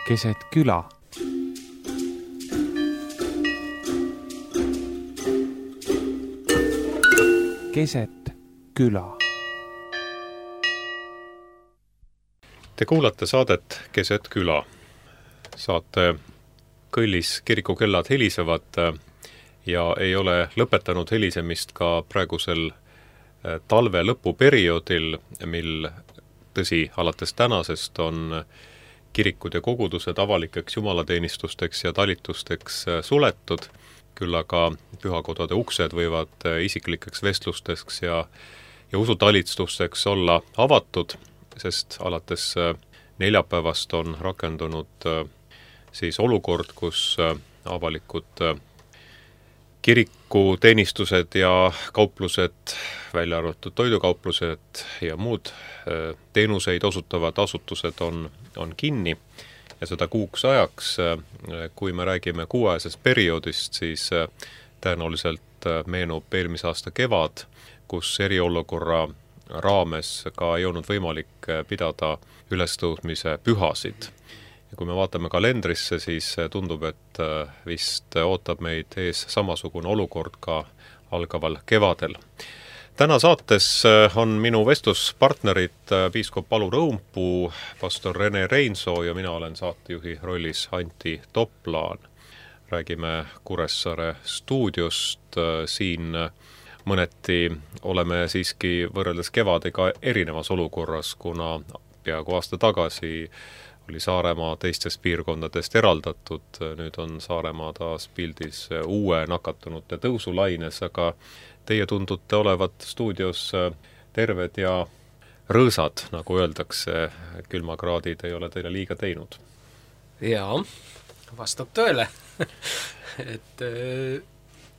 keset küla. Keset küla. Te kuulate saadet Keset küla. Saate kõllis kirikukellad helisevad ja ei ole lõpetanud helisemist ka praegusel talve lõpuperioodil, mil tõsi, alates tänasest on kirikud ja kogudused avalikeks jumalateenistusteks ja talitusteks suletud, küll aga pühakodade uksed võivad isiklikeks vestlusteks ja usutalistusteks olla avatud, sest alates neljapäevast on rakendunud siis olukord, kus avalikud kirikuteenistused ja kauplused, välja arvatud toidukauplused ja muud teenuseid osutavad asutused on kinni ja seda kuuks ajaks. Kui me räägime kuuajasest perioodist, siis tõenäoliselt meenub eelmise aasta kevad, kus eriolukorra raames ka ei olnud võimalik pidada ülestõusmise pühasid. Ja kui me vaatame kalendrisse, siis tundub, et vist ootab meid ees samasugune olukord ka algaval kevadel. Täna saates on minu vestluspartnerid piiskop Palu Rõumpuu, pastor Rene Reinsoo ja mina olen saatejuhi rollis Antti Toplaan. Räägime Kuressaare stuudiost. Siin mõneti oleme siiski võrreldes kevadega erinevas olukorras, kuna peaaegu aasta tagasi oli Saaremaa teistest piirkondadest eraldatud. Nüüd on Saaremaa taas pildis uue nakatunute tõusulaines, aga teie tundute olevat stuudios terved ja rõõsad, nagu öeldakse. Külmakraadid ei ole teile liiga teinud. Jaa, vastab tõele. Et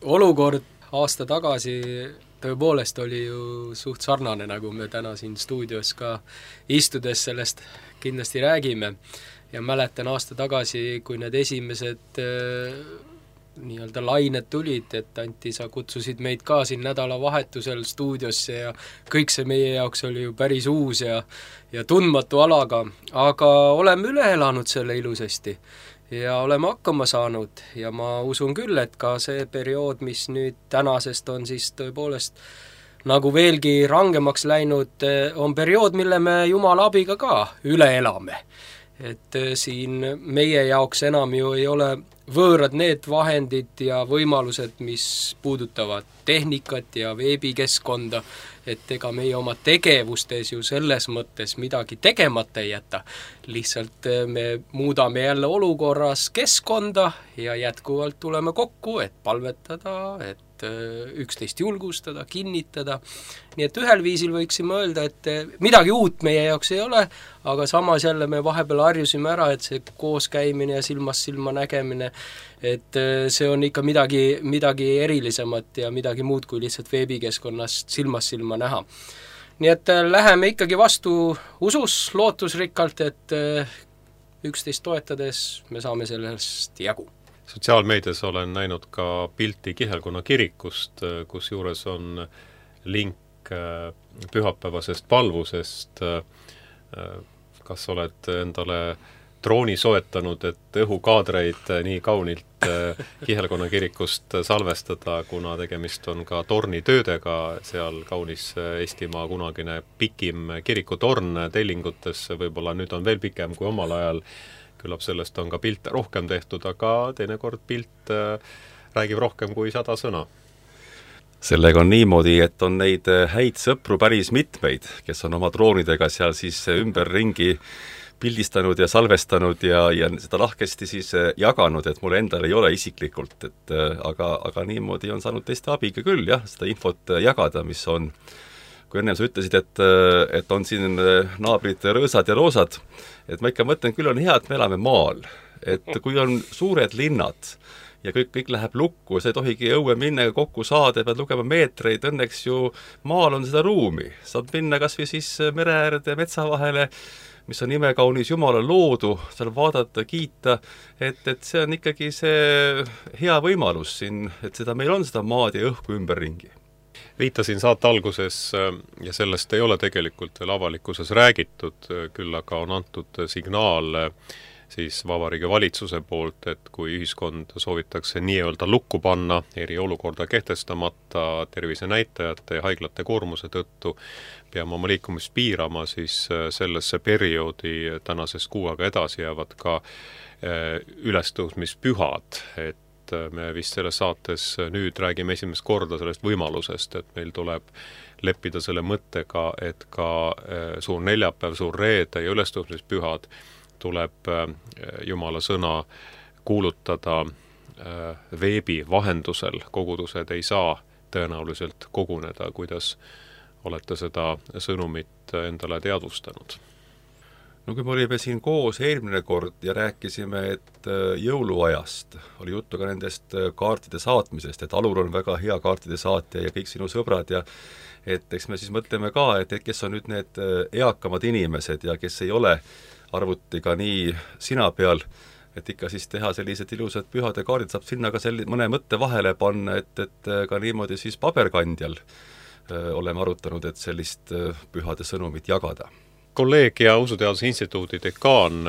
olukord aasta tagasi tõepoolest oli ju suht sarnane, nagu me täna siin stuudios ka istudes sellest kindlasti räägime. Ja mäletan aasta tagasi, kui need esimesed nii-öelda lained tulid, et Antti, sa kutsusid meid ka siin nädalavahetusel stuudiosse ja kõik see meie jaoks oli ju päris uus ja tundmatu alaga, aga oleme üle elanud selle ilusasti ja oleme hakkama saanud ja ma usun küll, et ka see periood, mis nüüd tänasest on siis tõepoolest nagu veelgi rangemaks läinud, on periood, mille me Jumala abiga ka üle elame. Et siin meie jaoks enam ju ei ole võõrad need vahendid ja võimalused, mis puudutavad tehnikat ja veebikeskkonda, et ega meie oma tegevustes ju selles mõttes midagi tegemata ei jäta. Lihtsalt me muudame jälle olukorras keskkonda ja jätkuvalt tuleme kokku, et palvetada, et üksteist julgustada, kinnitada. Nii et ühel viisil võiksime öelda, et midagi uut meie jaoks ei ole, aga samas jälle me vahepeal harjusime ära, et see kooskäimine ja silmast silma nägemine, et see on ikka midagi erilisemat ja midagi muud kui lihtsalt veebikeskkonnast silmast silma näha. Nii et läheme ikkagi vastu usus lootusrikkalt, et üksteist toetades me saame sellest jagu. Sotsiaalmeedias olen näinud ka pilti Kihelkonna kirikust, kus juures on link pühapäevasest palvusest. Kas oled endale drooni soetanud, et õhukaadreid nii kaunilt Kihelkonna kirikust salvestada, kuna tegemist on ka tornitöödega, seal kaunis Eestimaa kunagine pikim kirikutorn tellingutes, võib-olla nüüd on veel pikem kui omal ajal. Küllap sellest on ka pilte rohkem tehtud, aga teinekord pilt räägib rohkem kui 100 sõna. Sellega on niimoodi, et on neid häid sõpru päris mitmeid, kes on oma droonidega seal siis ümberringi pildistanud ja salvestanud ja seda lahkesti siis jaganud, et mul endal ei ole isiklikult, aga niimoodi on saanud teiste abiga küll, jah, seda infot jagada, mis on. Kui ennem sa ütlesid, et on siin naabrid rõõsad ja roosad, et ma ikka mõtlen, küll on hea, et me elame maal. Et kui on suured linnad ja kõik läheb lukku, sa ei tohigi õue minna kokku saada, pead lugema meetreid, õnneks ju maal on seda ruumi. Saad minna kas või siis mere äärde metsa vahele, mis on imekaunis Jumala loodu, seal vaadata, kiita, et see on ikkagi see hea võimalus siin, et seda meil on seda maad ja õhku ümberringi. Viitasin saate alguses ja sellest ei ole tegelikult veel avalikkuses räägitud, küll aga on antud signaal siis Vabariigi Valitsuse poolt, et kui ühiskond soovitakse nii-öelda lukku panna, eriolukorda kehtestamata tervisenäitajate ja haiglate koormuse tõttu, peame oma liikumist piirama, siis sellesse perioodi tänasest kuu aega edasi jäävad ka ülestõusmispühad, et me vist selles saates nüüd räägime esimest korda sellest võimalusest, et meil tuleb leppida selle mõttega, et ka suur neljapäev, suur reede ja ülestõusmispühad tuleb Jumala sõna kuulutada veebi vahendusel. Kogudused ei saa tõenäoliselt koguneda, kuidas olete seda sõnumit endale teadvustanud? No kui me olime siin koos eelmine kord ja rääkisime, et jõuluajast oli juttu ka nendest kaartide saatmisest, et Alur on väga hea kaartide saatja ja kõik sinu sõbrad ja et eks me siis mõtleme ka, et kes on nüüd need eakamad inimesed ja kes ei ole arvutiga nii sina peal, et ikka siis teha sellised ilusad pühade kaardid, saab sinna ka mõne mõtte vahele panna, et ka niimoodi siis paberkandjal oleme arutanud, et sellist pühade sõnumit jagada. Kolleeg ja Usuteaduse Instituudi dekaan,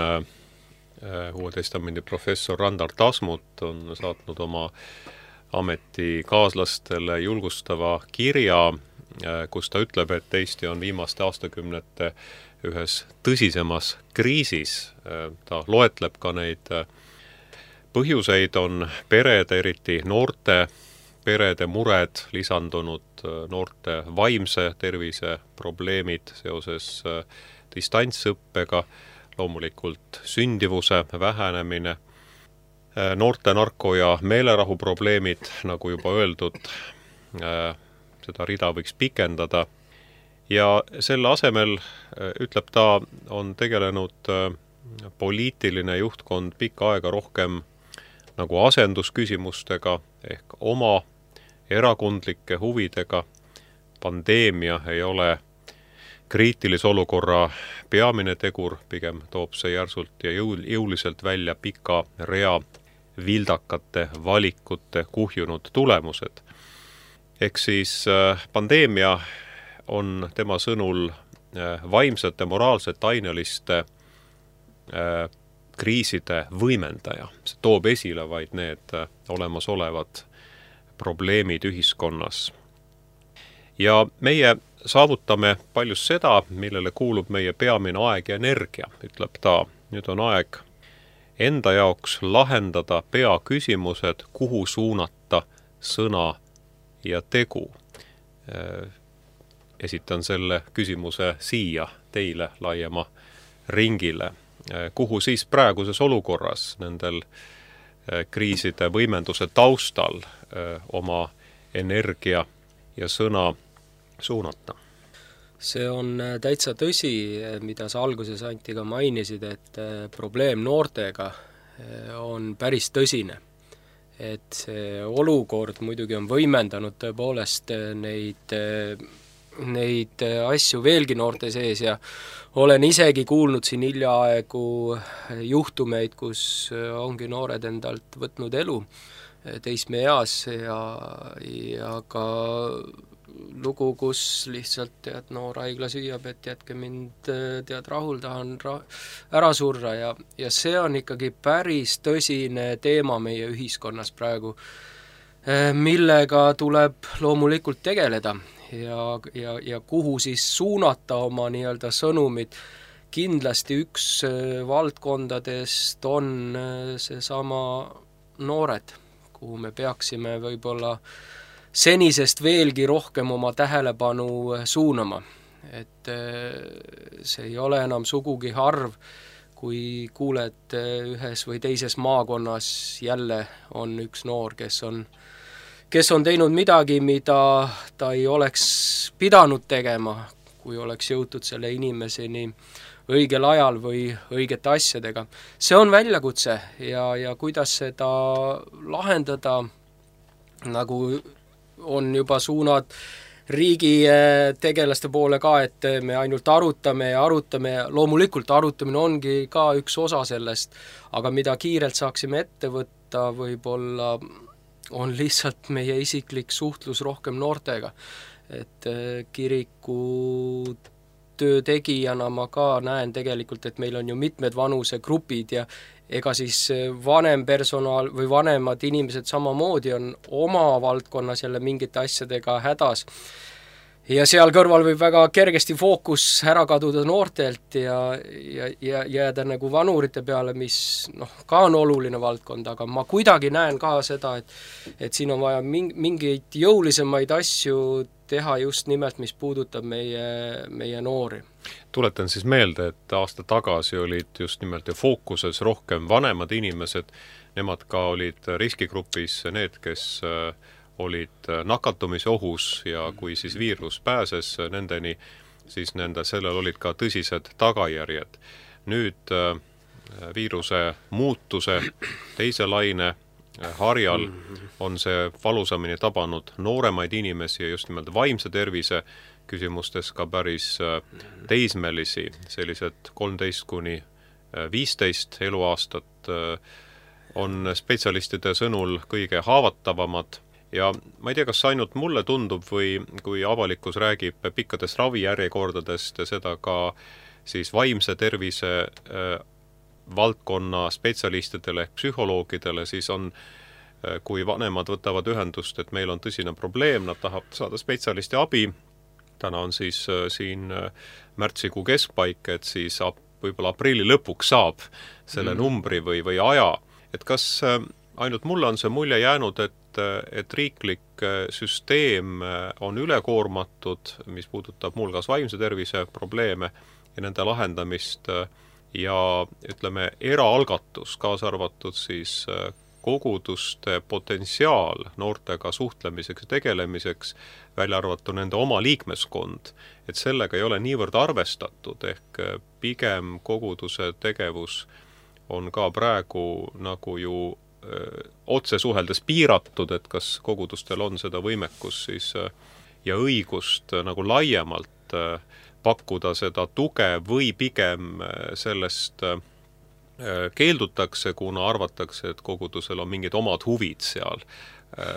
Uue Testamendi professor Randar Tasmut on saatnud oma ametikaaslastele julgustava kirja, kus ta ütleb, et Eesti on viimaste aastakümnete ühes tõsisemas kriisis. Ta loetleb ka neid põhjuseid, on perede, eriti noorte perede mured, lisandunud noorte vaimse tervise probleemid seoses distantsõppega, loomulikult sündivuse vähenemine, noorte narko- ja meelerahu probleemid, nagu juba öeldud, seda rida võiks pikendada. Ja selle asemel, ütleb ta, on tegelenud poliitiline juhtkond pikka aega rohkem nagu asendusküsimustega ehk oma erakondlike huvidega. Pandeemia ei ole kriitilise olukorra peamine tegur, pigem toob see järsult ja jõuliselt välja pika rea vildakate valikute kuhjunud tulemused. Ehk siis pandeemia on tema sõnul vaimsete, moraalsete, aineliste kriiside võimendaja. See toob esile vaid need olemasolevad probleemid ühiskonnas. Ja meie saavutame paljus seda, millele kuulub meie peamine aeg ja energia, ütleb ta. Nüüd on aeg enda jaoks lahendada peaküsimused, kuhu suunata sõna ja tegu. Esitan selle küsimuse siia teile laiema ringile. Kuhu siis praeguses olukorras nendel kriiside võimenduse taustal oma energia ja sõna suunata? See on täitsa tõsi, mida sa alguses Anti ka mainisid, et probleem noortega on päris tõsine. Et see olukord muidugi on võimendanud tõepoolest neid asju veelgi noorte sees ja olen isegi kuulnud siin hiljaaegu juhtumeid, kus ongi noored endalt võtnud elu teismeeas ja ka lugu, kus lihtsalt noor haigla süüab, et jätke mind rahul, tahan ära surra ja see on ikkagi päris tõsine teema meie ühiskonnas praegu, millega tuleb loomulikult tegeleda ja kuhu siis suunata oma nii-öelda sõnumid. Kindlasti üks valdkondadest on seesama noored, kuhu me peaksime võib-olla senisest veelgi rohkem oma tähelepanu suunama. Et see ei ole enam sugugi harv, kui kuuled ühes või teises maakonnas jälle on üks noor, kes on teinud midagi, mida ta ei oleks pidanud tegema, kui oleks jõutud selle inimeseni õigel ajal või õigete asjadega. See on väljakutse ja kuidas seda lahendada, nagu on juba suunad riigi tegelaste poole ka, et me ainult arutame ja loomulikult arutamine ongi ka üks osa sellest, aga mida kiirelt saaksime ette võtta, võib-olla on lihtsalt meie isiklik suhtlus rohkem noortega. Et kiriku kaugtöö tegijana ma ka näen tegelikult, et meil on ju mitmed vanusegrupid ja ega siis vanem personal või vanemad inimesed samamoodi on oma valdkonnas jälle mingite asjadega hädas. Ja seal kõrval võib väga kergesti fookus ära kaduda noortelt ja jääda nagu vanurite peale, mis ka on oluline valdkond, aga ma kuidagi näen ka seda, et siin on vaja mingeid jõulisemaid asju teha just nimelt, mis puudutab meie noori. Tuletan siis meelde, et aasta tagasi olid just nimelt fookuses rohkem vanemad inimesed, nemad ka olid riskigrupis need, kes olid nakatumise ohus ja kui siis viirus pääses nendeni, siis sellel olid ka tõsised tagajärjed. Nüüd viiruse muutuse teise laine harjal on see valusamini tabanud nooremaid inimesi ja just nimelt vaimse tervise küsimustes ka päris teismelisi, sellised 13–15 eluaastat on spetsialistide sõnul kõige haavatavamad. Ja ma ei tea, kas ainult mulle tundub või kui avalikkus räägib pikkadest ravijärjekordadest ja seda ka siis vaimse tervise valdkonna spetsialistidele ehk psühholoogidele, siis on, kui vanemad võtavad ühendust, et meil on tõsine probleem, nad tahavad saada spetsialisti abi, täna on siis siin märtsikuu keskpaik, et siis võib-olla aprilli lõpuks saab selle numbri või aja, et kas ainult mulle on see mulje jäänud, et riiklik süsteem on ülekoormatud, mis puudutab muuhulgas vaimse tervise probleeme ja nende lahendamist ja ütleme, eraalgatus, kaasa arvatud siis koguduste potentsiaal noortega suhtlemiseks ja tegelemiseks, välja arvatud nende oma liikmeskond, et sellega ei ole niivõrd arvestatud, ehk pigem koguduse tegevus on ka praegu nagu ju otse suheldes piiratud, et kas kogudustel on seda võimekus siis ja õigust nagu laiemalt pakkuda seda tuge või pigem sellest keeldutakse, kuna arvatakse, et kogudusel on mingid omad huvid seal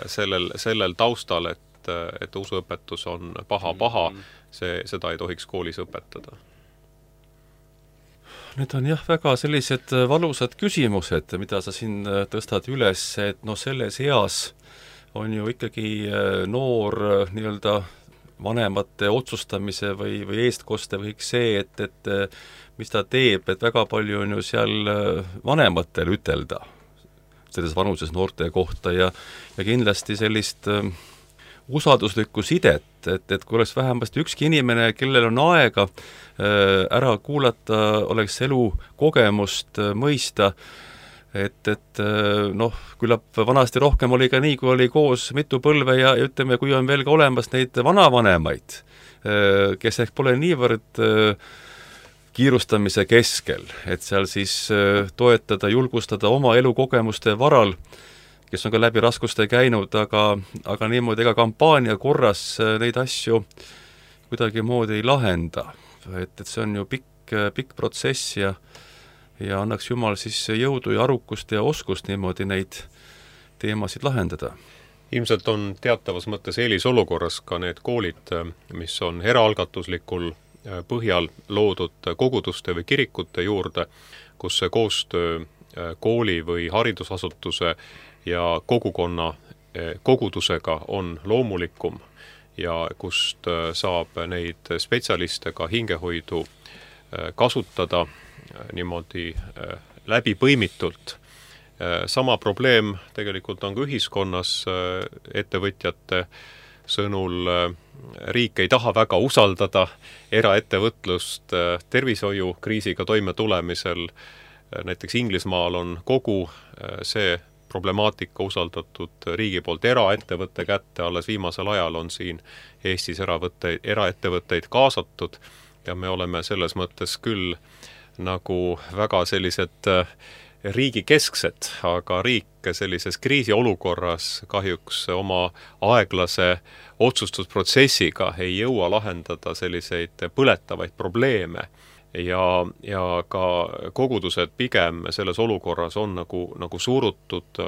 sellel taustal, et usuõpetus on paha, seda ei tohiks koolis õpetada. Need on jah väga sellised valusad küsimused, mida sa siin tõstad üles, et selles eas on ju ikkagi noor nii-öelda vanemate otsustamise või eestkoste või kõik see, et mis ta teeb, et väga palju on ju seal vanematel ütelda selles vanuses noorte kohta ja kindlasti sellist usalduslikku sidet, et kui oleks vähemasti ükski inimene, kellel on aega ära kuulata, oleks elu kogemust mõista, et küllap vanasti rohkem oli ka nii, kui oli koos mitu põlve ja ütleme, kui on veel ka olemas neid vanavanemaid, kes ehk pole niivõrd kiirustamise keskel, et seal siis toetada, julgustada oma elukogemuste varal, kes on ka läbi raskuste käinud, aga niimoodi ega kampaania korras neid asju kuidagimoodi ei lahenda. Et see on ju pikk protsess ja annaks Jumal siis jõudu ja arukust ja oskust niimoodi neid teemasid lahendada. Ilmselt on teatavas mõttes eelisolukorras ka need koolid, mis on eraalgatuslikul põhjal loodud koguduste või kirikute juurde, kus see koostöö kooli või haridusasutuse ja kogudusega on loomulikum ja kust saab neid spetsialiste ka hingehoidu kasutada niimoodi läbipõimitult. Sama probleem tegelikult on ka ühiskonnas ettevõtjate sõnul. Riik ei taha väga usaldada eraettevõtlust tervishoiukriisiga toime tulemisel. Näiteks Inglismaal on kogu see problemaatika usaldatud riigi poolt eraettevõtte kätte, alles viimasel ajal on siin Eestis eraettevõtteid kaasatud ja me oleme selles mõttes küll nagu väga sellised riigikesksed, aga riik sellises kriisiolukorras kahjuks oma aeglase otsustusprotsessiga ei jõua lahendada selliseid põletavaid probleeme. Ja ka kogudused pigem selles olukorras on nagu surutud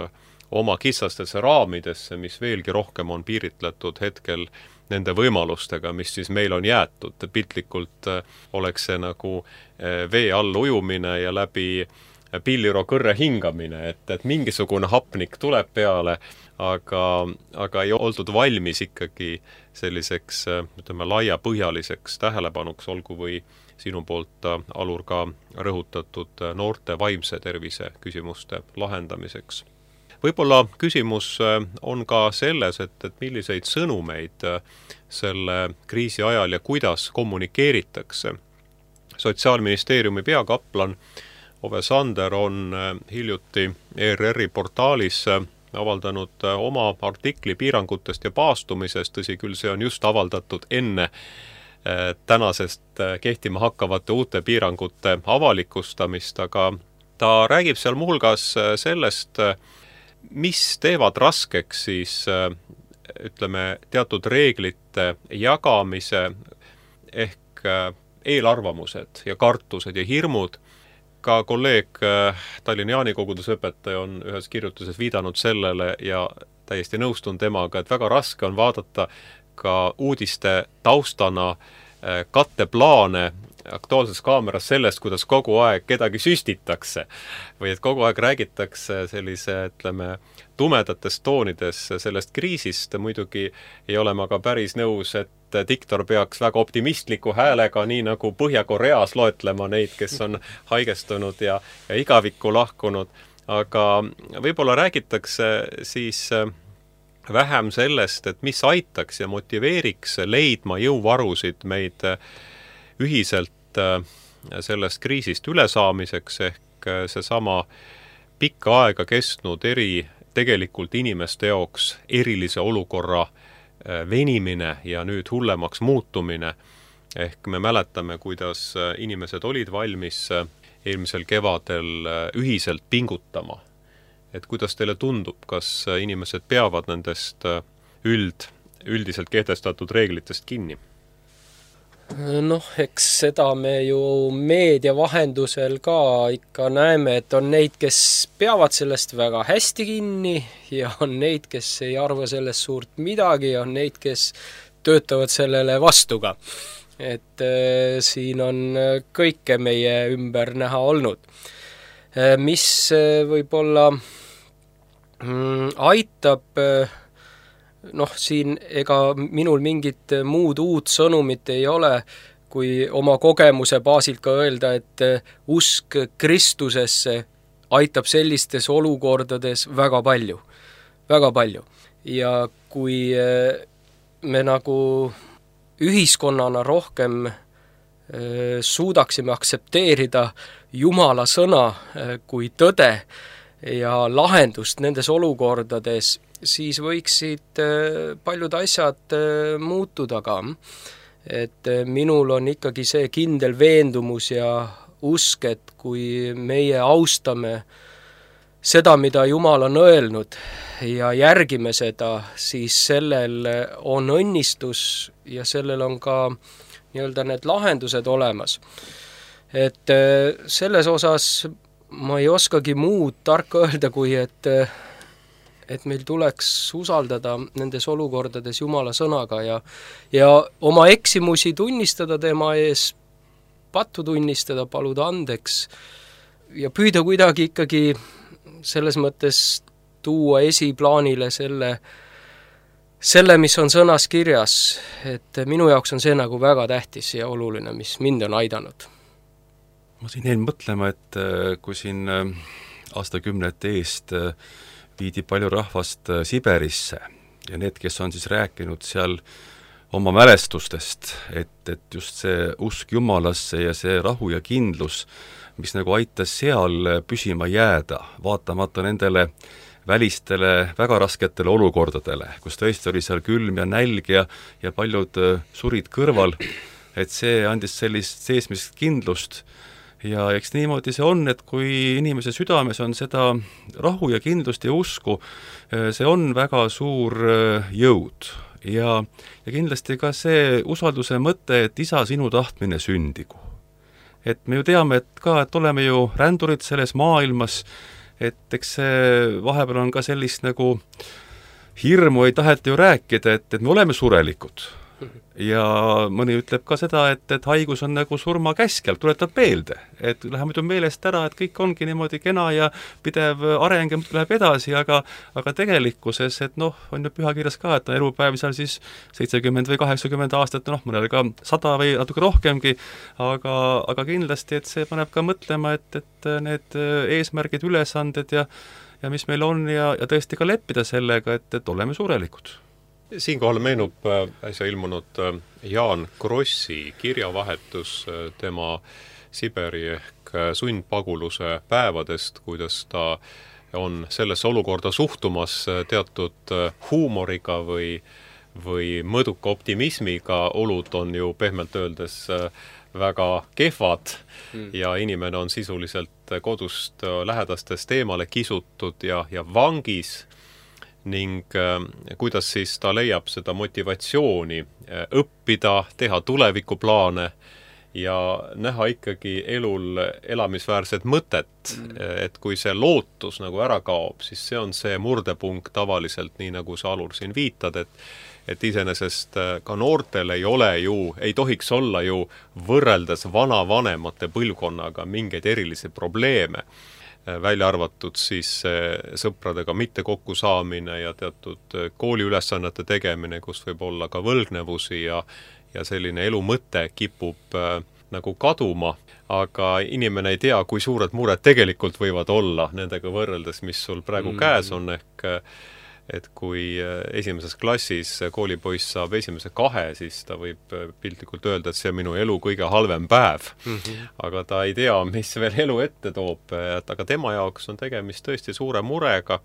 oma kitsastesse raamidesse, mis veelgi rohkem on piiritletud hetkel nende võimalustega, mis siis meil on jäetud. Piltlikult oleks see nagu vee all ujumine ja läbi pilliro kõrre hingamine, et mingisugune hapnik tuleb peale, aga ei oldud valmis ikkagi selliseks, ütleme, laiapõhjaliseks tähelepanuks, olgu või sinu poolt, Alur, ka rõhutatud noorte vaimse tervise küsimuste lahendamiseks. Võib-olla küsimus on ka selles, et milliseid sõnumeid selle kriisi ajal ja kuidas kommunikeeritakse. Sotsiaalministeeriumi peakaplan Ove Sander on hiljuti ERR-i portaalis avaldanud oma artikli piirangutest ja paastumisest, tõsi küll, see on just avaldatud enne tänasest kehtima hakkavate uute piirangute avalikustamist, aga ta räägib seal muuhulgas sellest, mis teevad raskeks siis, ütleme, teatud reeglite jagamise ehk eelarvamused ja kartused ja hirmud. Ka kolleeg Tallinna Jaanikoguduseõpetaja on ühes kirjutises viidanud sellele ja täiesti nõustun temaga, et väga raske on vaadata ka uudiste taustana katteplaane Aktuaalses Kaameras sellest, kuidas kogu aeg kedagi süstitakse või et kogu aeg räägitakse sellise, ütleme, tumedates toonides sellest kriisist. Muidugi ei ole ma ka päris nõus, et diktor peaks väga optimistliku häälega, nii nagu Põhja-Koreas loetlema neid, kes on haigestunud ja igavikku lahkunud, aga võib-olla räägitakse siis vähem sellest, et mis aitaks ja motiveeriks leidma jõuvarusid meid ühiselt sellest kriisist ülesaamiseks, ehk seesama pikka aega kestnud tegelikult inimeste jaoks erilise olukorra venimine ja nüüd hullemaks muutumine. Ehk me mäletame, kuidas inimesed olid valmis eelmisel kevadel ühiselt pingutama. Et kuidas teile tundub, kas inimesed peavad nendest üldiselt kehtestatud reeglitest kinni? Noh, eks seda me ju meedia vahendusel ka ikka näeme, et on neid, kes peavad sellest väga hästi kinni ja on neid, kes ei arva sellest suurt midagi, on neid, kes töötavad sellele vastu ka. Et siin on kõike meie ümber näha olnud. Mis võib-olla aitab, siin ega minul mingit muud uut sõnumit ei ole, kui oma kogemuse baasilt ka öelda, et usk Kristusesse aitab sellistes olukordades väga palju. Väga palju. Ja kui me nagu ühiskonnana rohkem suudaksime aksepteerida Jumala sõna kui tõde ja lahendust nendes olukordades, siis võiksid paljud asjad muutuda ka. Et minul on ikkagi see kindel veendumus ja usk, et kui meie austame seda, mida Jumal on öelnud ja järgime seda, siis sellel on õnnistus ja sellel on ka nii-öelda need lahendused olemas. Et selles osas ma ei oskagi muud tarka öelda, kui et meil tuleks usaldada nendes olukordades Jumala sõnaga ja oma eksimusi tunnistada tema ees, pattu tunnistada, paluda andeks ja püüda kuidagi ikkagi selles mõttes tuua esiplaanile selle, mis on sõnas kirjas, et minu jaoks on see nagu väga tähtis ja oluline, mis mind on aidanud. Ma siin jäin mõtlema, et kui siin aastakümnete eest viidi palju rahvast Siberisse ja need, kes on siis rääkinud seal oma mälestustest, et just see usk Jumalasse ja see rahu ja kindlus, mis nagu aitas seal püsima jääda, vaatamata nendele välistele väga rasketele olukordadele, kus tõesti oli seal külm ja nälg ja paljud surid kõrval, et see andis sellist seesmist kindlust. Ja eks niimoodi see on, et kui inimese südames on seda rahu ja kindlust ja usku, see on väga suur jõud. Ja kindlasti ka see usalduse mõte, et isa sinu tahtmine sündigu. Et me ju teame, et oleme ju rändurid selles maailmas et eks see vahepeal on ka sellist nagu hirmu ei taheta ju rääkida, et me oleme surelikud. Ja mõni ütleb ka seda, et haigus on nagu surmakäskjal, tuletab meelde, et läheb muidu meelest ära, et kõik ongi niimoodi kena ja pidev areng ja läheb edasi, aga tegelikkuses, et on ju pühakirjas ka, et on elupäev seal siis 70 või 80 aastat, mõnel ka 100 või natuke rohkemgi, aga kindlasti, et see paneb ka mõtlema, et need eesmärgid, ülesanded ja mis meil on ja tõesti ka leppida sellega, et oleme surelikud. Siinkohal meenub äsja ilmunud Jaan Krossi kirjavahetus tema Siberi ehk sundpaguluse päevadest, kuidas ta on sellesse olukorda suhtumas teatud huumoriga või mõduka optimismiga. Olud on ju pehmelt öeldes väga kehvad ja inimene on sisuliselt kodust lähedastest eemale kisutud ja vangis. Ning kuidas siis ta leiab seda motivatsiooni õppida, teha tulevikuplaane ja näha ikkagi elul elamisväärset mõtet, et kui see lootus nagu ära kaob, siis see on see murdepunkt tavaliselt, nii nagu sa Alur siin viitad, et iseenesest ka noortel ei tohiks olla ju võrreldes vanavanemate põlvkonnaga mingeid erilisi probleeme, välja arvatud siis sõpradega mitte kokku saamine ja teatud kooliülesannete tegemine, kus võib olla ka võlgnevusi ja selline elu mõte kipub nagu kaduma, aga inimene ei tea, kui suured mured tegelikult võivad olla nendega võrreldes, mis sul praegu käes on, ehk et kui esimeses klassis koolipoiss saab esimese 2, siis ta võib piltlikult öelda, et see on minu elu kõige halvem päev. Aga ta ei tea, mis veel elu ette toob, aga tema jaoks on tegemist tõesti suure murega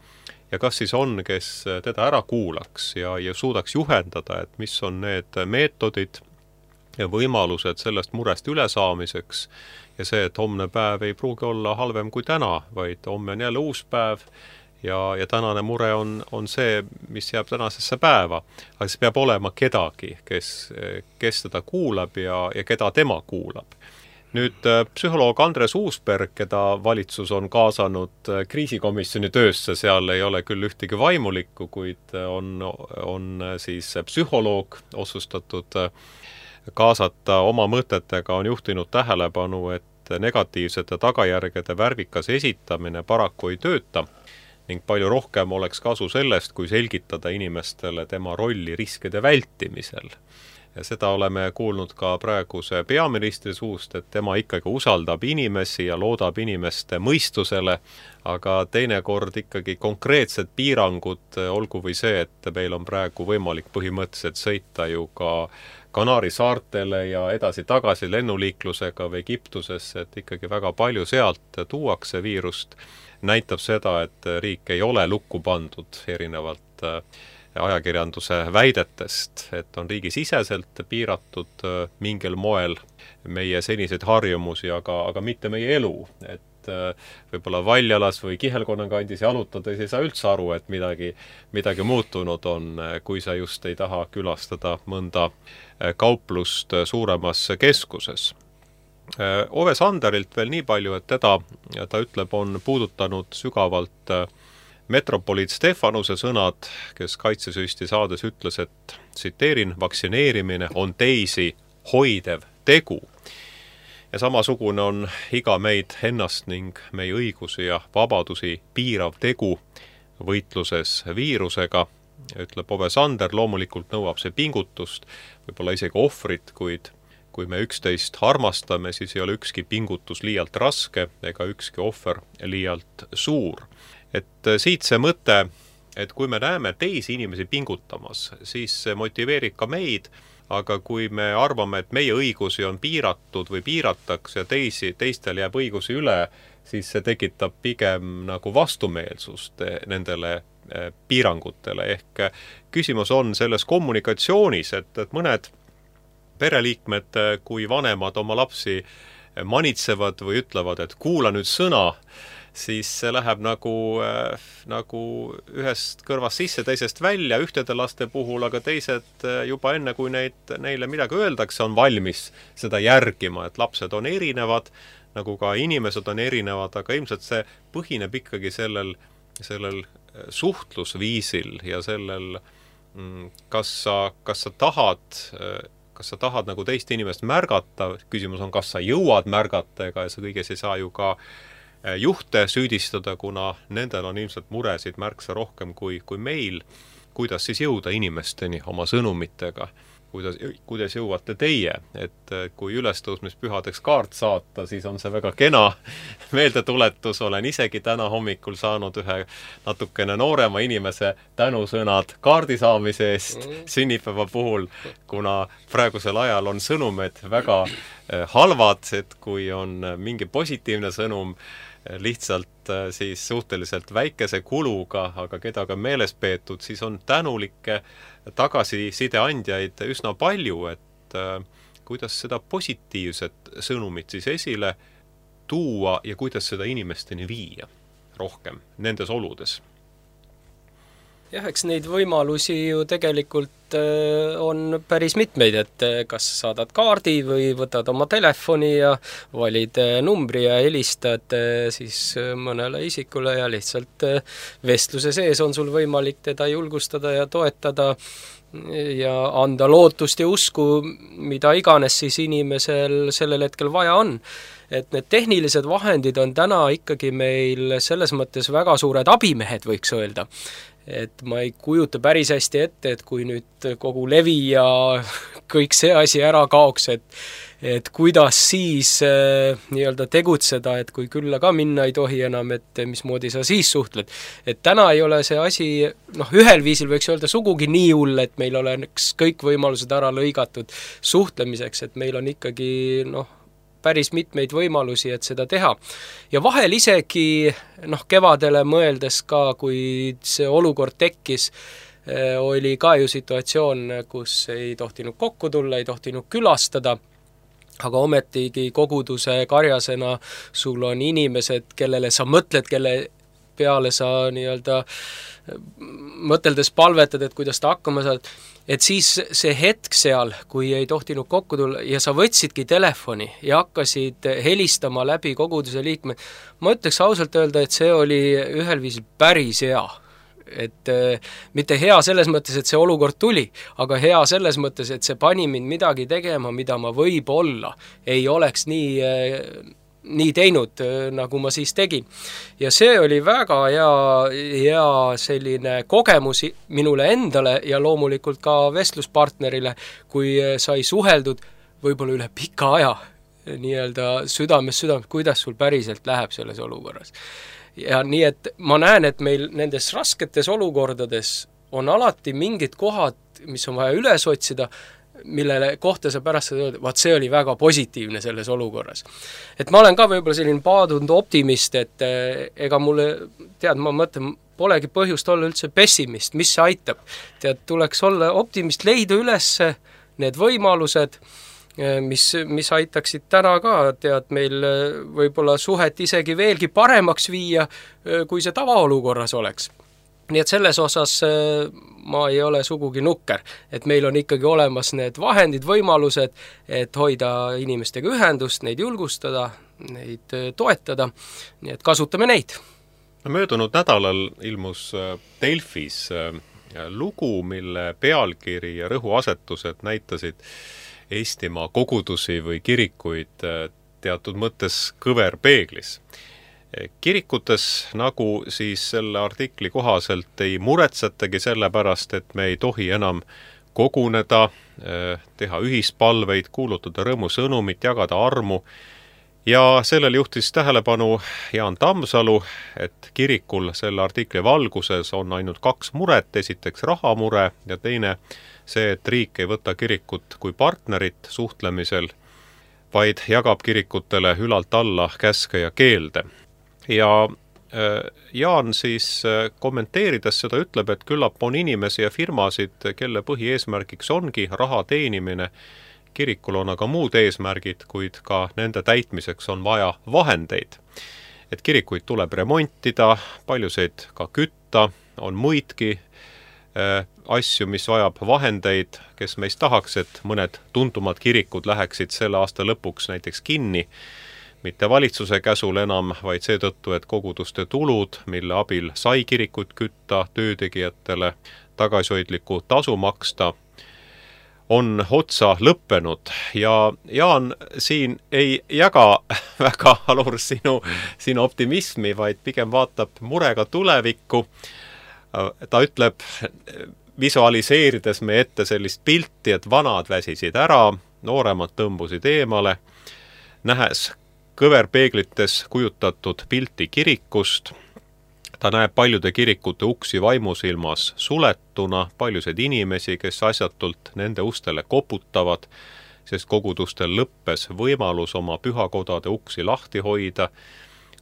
ja kas siis on, kes teda ära kuulaks ja suudaks juhendada, et mis on need meetodid ja võimalused sellest murest üle saamiseks ja see, et homne päev ei pruugi olla halvem kui täna, vaid homme on jälle uus päev ja tänane mure on see, mis jääb tänasesse päeva. Aga see peab olema kedagi, kes teda kuulab ja keda tema kuulab. Nüüd psühholoog Andres Uusberg, keda valitsus on kaasanud kriisikomisjoni töösse, seal ei ole küll ühtegi vaimulikku, kuid on siis psühholoog otsustatud kaasata oma mõtetega, on juhtinud tähelepanu, et negatiivsete tagajärgede värvikas esitamine paraku ei tööta ning palju rohkem oleks kasu sellest, kui selgitada inimestele tema rolli riskide vältimisel. Ja seda oleme kuulnud ka praeguse peaministri suust, et tema ikkagi usaldab inimesi ja loodab inimeste mõistusele, aga teinekord ikkagi konkreetsed piirangud, olgu või see, et meil on praegu võimalik põhimõtteliselt sõita ju ka Kanaari saartele ja edasi-tagasi lennuliiklusega või Egiptusesse, et ikkagi väga palju sealt tuuakse viirust, näitab seda, et riik ei ole lukku pandud erinevalt ajakirjanduse väidetest, et on riigisiseselt piiratud mingil moel meie seniseid harjumusi, aga mitte meie elu. Et võib-olla Valjalas või Kihelkonna kandis jalutades ei saa üldse aru, et midagi muutunud on, kui sa just ei taha külastada mõnda kauplust suuremas keskuses. Ove Sanderilt veel nii palju, et ta ütleb, on puudutanud sügavalt metropoliit Stefanuse sõnad, kes Kaitsesüsti saades ütles, et tsiteerin, vaktsineerimine on teisi hoidev tegu. Ja samasugune on iga meid ennast ning meie õigusi ja vabadusi piirav tegu võitluses viirusega, ütleb Ove Sander. Loomulikult nõuab see pingutust, võib-olla isegi ohvrit, kuid kui me üksteist armastame, siis ei ole ükski pingutus liialt raske ega ükski ohver liialt suur. Et siit see mõte, et kui me näeme teisi inimesi pingutamas, siis see motiveerib ka meid, aga kui me arvame, et meie õigusi on piiratud või piiratakse ja teistel jääb õigusi üle, siis see tekitab pigem nagu vastumeelsust nendele piirangutele. Ehk küsimus on selles kommunikatsioonis, et mõned pereliikmed, kui vanemad oma lapsi manitsevad või ütlevad, et kuula nüüd sõna, siis see läheb nagu ühest kõrvast sisse, teisest välja ühtede laste puhul, aga teised juba enne, kui neile midagi öeldakse, on valmis seda järgima, et lapsed on erinevad, nagu ka inimesed on erinevad, aga ilmselt see põhineb ikkagi sellel suhtlusviisil ja sellel, kas sa tahad nagu teist inimest märgata, küsimus on, kas sa jõuad märgata, ega sa kõiges ei saa ju ka juhte süüdistada, kuna nendel on ilmselt muresid märksa rohkem kui meil, kuidas siis jõuda inimesteni oma sõnumitega, kuidas jõuate teie, et kui ülestõusmispühadeks kaart saata, siis on see väga kena meeldetuletus, olen isegi täna hommikul saanud ühe natukene noorema inimese tänusõnad kaardi saamise eest sünnipäeva puhul, kuna praegusel ajal on sõnumed väga halvad, et kui on mingi positiivne sõnum, lihtsalt siis suhteliselt väikese kuluga, aga keda ka meeles peetud, siis on tänulikke tagasiside andjaid üsna palju, et kuidas seda positiivset sõnumit siis esile tuua ja kuidas seda inimesteni viia rohkem nendes oludes. Jah, eks neid võimalusi ju tegelikult on päris mitmeid, et kas saadad kaardi või võtad oma telefoni ja valid numbri ja helistad siis mõnele isikule ja lihtsalt vestluse sees on sul võimalik teda julgustada ja toetada ja anda lootust ja usku, mida iganes siis inimesel sellel hetkel vaja on. Et need tehnilised vahendid on täna ikkagi meil selles mõttes väga suured abimehed, võiks öelda. Et ma ei kujuta päris hästi ette, et kui nüüd kogu levi ja kõik see asi ära kaoks, et kuidas siis nii-öelda tegutseda, et kui külla ka minna ei tohi enam, et mismoodi sa siis suhtled. Et täna ei ole see asi, ühel viisil võiks öelda sugugi nii hull, et meil oleks kõik võimalused ära lõigatud suhtlemiseks, et meil on ikkagi päris mitmeid võimalusi, et seda teha. Ja vahel isegi kevadele mõeldes ka, kui see olukord tekkis, oli ka ju situatsioon, kus ei tohtinud kokku tulla, ei tohtinud külastada, aga ometigi koguduse karjasena sul on inimesed, kellele sa mõtled, kelle peale sa nii-öelda mõteldes palvetad, et kuidas ta hakkama saad, et siis see hetk seal, kui ei tohtinud kokku tulla ja sa võtsidki telefoni ja hakkasid helistama läbi koguduse liikme, ma ütleks ausalt öelda, et see oli ühel viisil päris hea. Et mitte hea selles mõttes, et see olukord tuli, aga hea selles mõttes, et see pani mind midagi tegema, mida ma võib-olla ei oleks nii teinud, nagu ma siis tegin. Ja see oli väga hea selline kogemus minule endale ja loomulikult ka vestluspartnerile, kui sai suheldud võib-olla üle pika aja nii-öelda südames, kuidas sul päriselt läheb selles olukorras. Ja nii, et ma näen, et meil nendes rasketes olukordades on alati mingid kohad, mis on vaja üles otsida, millele kohta sa pärast öelda, vaat see oli väga positiivne selles olukorras. Et ma olen ka võib-olla selline paadunud optimist, et ega mulle, ma mõtlen, polegi põhjust olla üldse pessimist, mis see aitab. Tuleks olla optimist, leida üles need võimalused, mis aitaksid täna ka, meil võib-olla suhet isegi veelgi paremaks viia, kui see tavaolukorras oleks. Nii et selles osas ma ei ole sugugi nukker, et meil on ikkagi olemas need vahendid, võimalused, et hoida inimestega ühendust, neid julgustada, neid toetada, nii et kasutame neid. Möödunud nädalal ilmus Delfis lugu, mille pealkiri ja rõhuasetused näitasid Eestimaa kogudusi või kirikuid teatud mõttes kõverpeeglis. Kirikutes, nagu siis selle artikli kohaselt ei muretsetagi selle pärast, et me ei tohi enam koguneda, teha ühispalveid, kuulutada rõõmusõnumit, jagada armu. Ja sellel juhtis tähelepanu Jaan Tammsalu, et kirikul selle artikli valguses on ainult 2 muret, esiteks rahamure ja teine see, et riik ei võta kirikut kui partnerit suhtlemisel, vaid jagab kirikutele ülalt alla käske ja keelde. Ja Jaan siis kommenteerides seda ütleb, et küllap on inimesi ja firmasid, kelle põhieesmärgiks ongi raha teenimine. Kirikul on aga muud eesmärgid, kuid ka nende täitmiseks on vaja vahendeid. Et kirikuid tuleb remontida, paljusid ka kütta, on muidki asju, mis vajab vahendeid, kes meist tahaks, et mõned tuntumad kirikud läheksid selle aasta lõpuks näiteks kinni. mitte valitsuse käsul enam, vaid seetõttu, et koguduste tulud, mille abil sai kirikut kütta, töötegijatele tagasihoidliku tasu maksta, on otsa lõppenud ja Jaan siin ei jaga väga Alur sinu optimismi, vaid pigem vaatab murega tulevikku. Ta ütleb, visualiseerides me ette sellist pilti, et vanad väsisid ära, nooremad tõmbusid eemale, nähes kõverpeeglites kujutatud pilti kirikust. Ta näeb paljude kirikute uksi vaimusilmas suletuna, paljusid inimesi, kes asjatult nende ustele koputavad, sest kogudustel lõppes võimalus oma pühakodade uksi lahti hoida.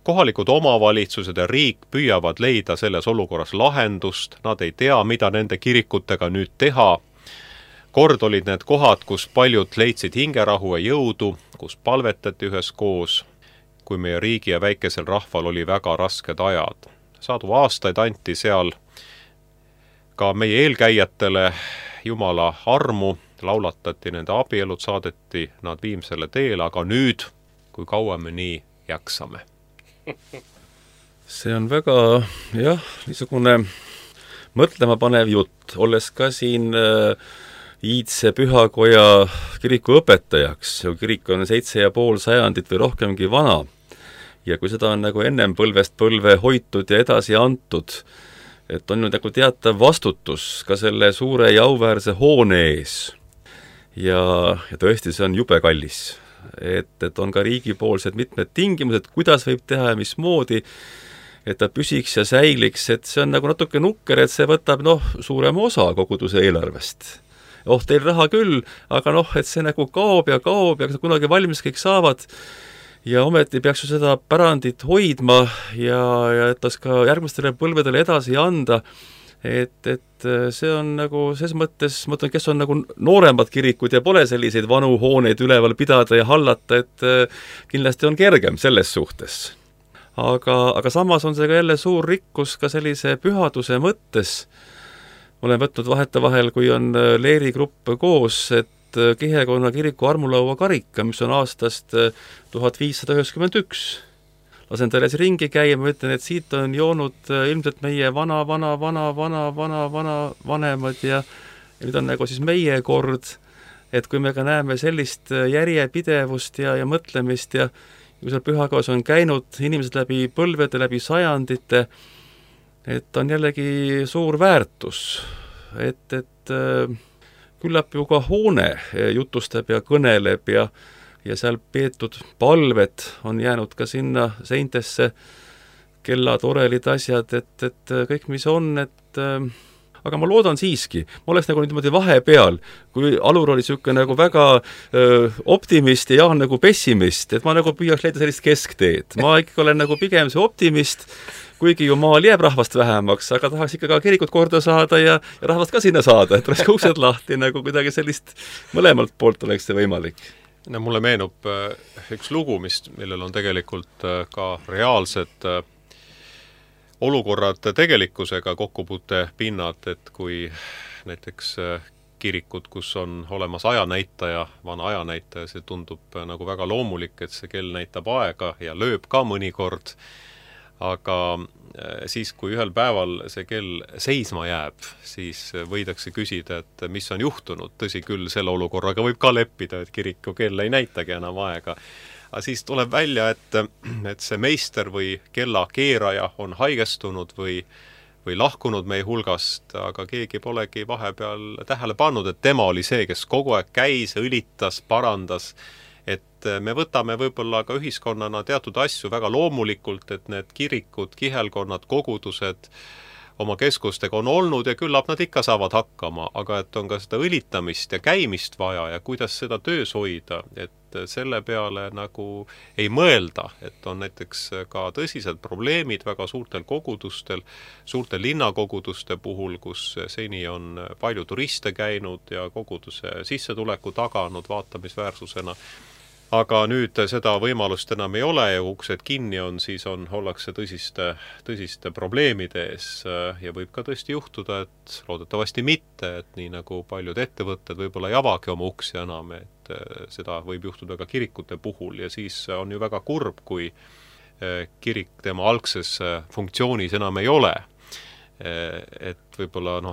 Kohalikud omavalitsused ja riik püüavad leida selles olukorras lahendust, nad ei tea, mida nende kirikutega nüüd teha. Kord olid need kohad, kus paljud leidsid hingerahu ja jõudu, kus palvetati üheskoos, kui meie riigi ja väikesel rahval oli väga rasked ajad. Sadu aastaid anti seal ka meie eelkäijatele Jumala armu, laulatati nende abielud, saadeti nad viimsele teele, aga nüüd, kui kaua me nii jaksame. See on väga, niisugune mõtlema panev jutt, olles ka siin Iidse pühakoja kiriku õpetajaks. Kirik on 7,5 sajandit või rohkemgi vana. Ja kui seda on nagu ennem põlvest põlve hoitud ja edasi antud, et on nagu teatav vastutus ka selle suure ja auväärse hoone ees. Ja tõesti, see on jube kallis. Et on ka riigipoolsed mitmed tingimused, kuidas võib teha ja mismoodi, et ta püsiks ja säiliks, et see on nagu natuke nukker, et see võtab suurema osa koguduse eelarvest. Teil raha küll, aga et see nagu kaob ja kunagi valmis kõik saavad. Ja ometi peaks ju seda pärandit hoidma ja et tas ka järgmistele põlvedele edasi anda, et see on nagu ses mõttes, ma mõtlen, kes on nagu nooremad kirikud ja pole selliseid vanu hooneid üleval pidada ja hallata, et kindlasti on kergem selles suhtes. Aga samas on see ka jälle suur rikkus ka sellise pühaduse mõttes. Olen võtnud vahetevahel, kui on leerigrupp koos, et Kihekonna kiriku armulaua karika, mis on aastast 1591. Lasen teile ringi käia, ma ütlen, et siit on joonud ilmselt meie vana vanemad ja nüüd on nagu siis meie kord, et kui me ka näeme sellist järjepidevust ja mõtlemist ja kui seal pühakoos on käinud inimesed läbi põlvede, läbi sajandite, et on jällegi suur väärtus, et küllap ju ka hoone jutustab ja kõneleb ja seal peetud palved on jäänud ka sinna seintesse, kellad, orelid, asjad, et kõik, mis on, aga ma loodan siiski, ma oleks nagu niimoodi vahepeal, kui Alur oli niisugune nagu väga optimist ja Jaan nagu pessimist, et ma nagu püüaks leida sellist keskteed. Ma ikka olen nagu pigem see optimist, kuigi ju maal jääb rahvast vähemaks, aga tahaks ikka ka kirikut korda saada ja rahvast ka sinna saada, et oleks uksed lahti, nagu kuidagi sellist mõlemalt poolt oleks see võimalik. No, mulle meenub üks lugu, millel on tegelikult ka reaalsed olukorrad tegelikkusega kokkupuute pinnad, et kui näiteks kirikud, kus on olemas ajanäitaja, vana ajanäitaja, see tundub nagu väga loomulik, et see kell näitab aega ja lööb ka mõnikord, aga siis, kui ühel päeval see kell seisma jääb, siis võidakse küsida, et mis on juhtunud. Tõsi küll, selle olukorraga võib ka leppida, et kiriku kell ei näitagi enam aega. Aga siis tuleb välja, et see meister või kella keeraja on haigestunud või lahkunud meie hulgast, aga keegi polegi vahepeal tähele pannud, et tema oli see, kes kogu aeg käis, õlitas, parandas. Et me võtame võib-olla ka ühiskonnana teatud asju väga loomulikult, et need kirikud, kihelkonnad, kogudused oma keskustega on olnud ja küllap nad ikka saavad hakkama, aga et on ka seda õlitamist ja käimist vaja ja kuidas seda töös hoida, et selle peale nagu ei mõelda, et on näiteks ka tõsised probleemid väga suurtel kogudustel, suurte linnakoguduste puhul, kus seni on palju turiste käinud ja koguduse sissetuleku taganud vaatamisväärsusena. Aga nüüd seda võimalust enam ei ole ja uksed kinni on, siis ollakse tõsiste probleemide ees ja võib ka tõesti juhtuda, et loodetavasti mitte, et nii nagu paljud ettevõtted võib-olla ei avagi oma uksi enam, et seda võib juhtuda ka kirikute puhul ja siis on ju väga kurb, kui kirik tema algses funktsioonis enam ei ole. Et võib-olla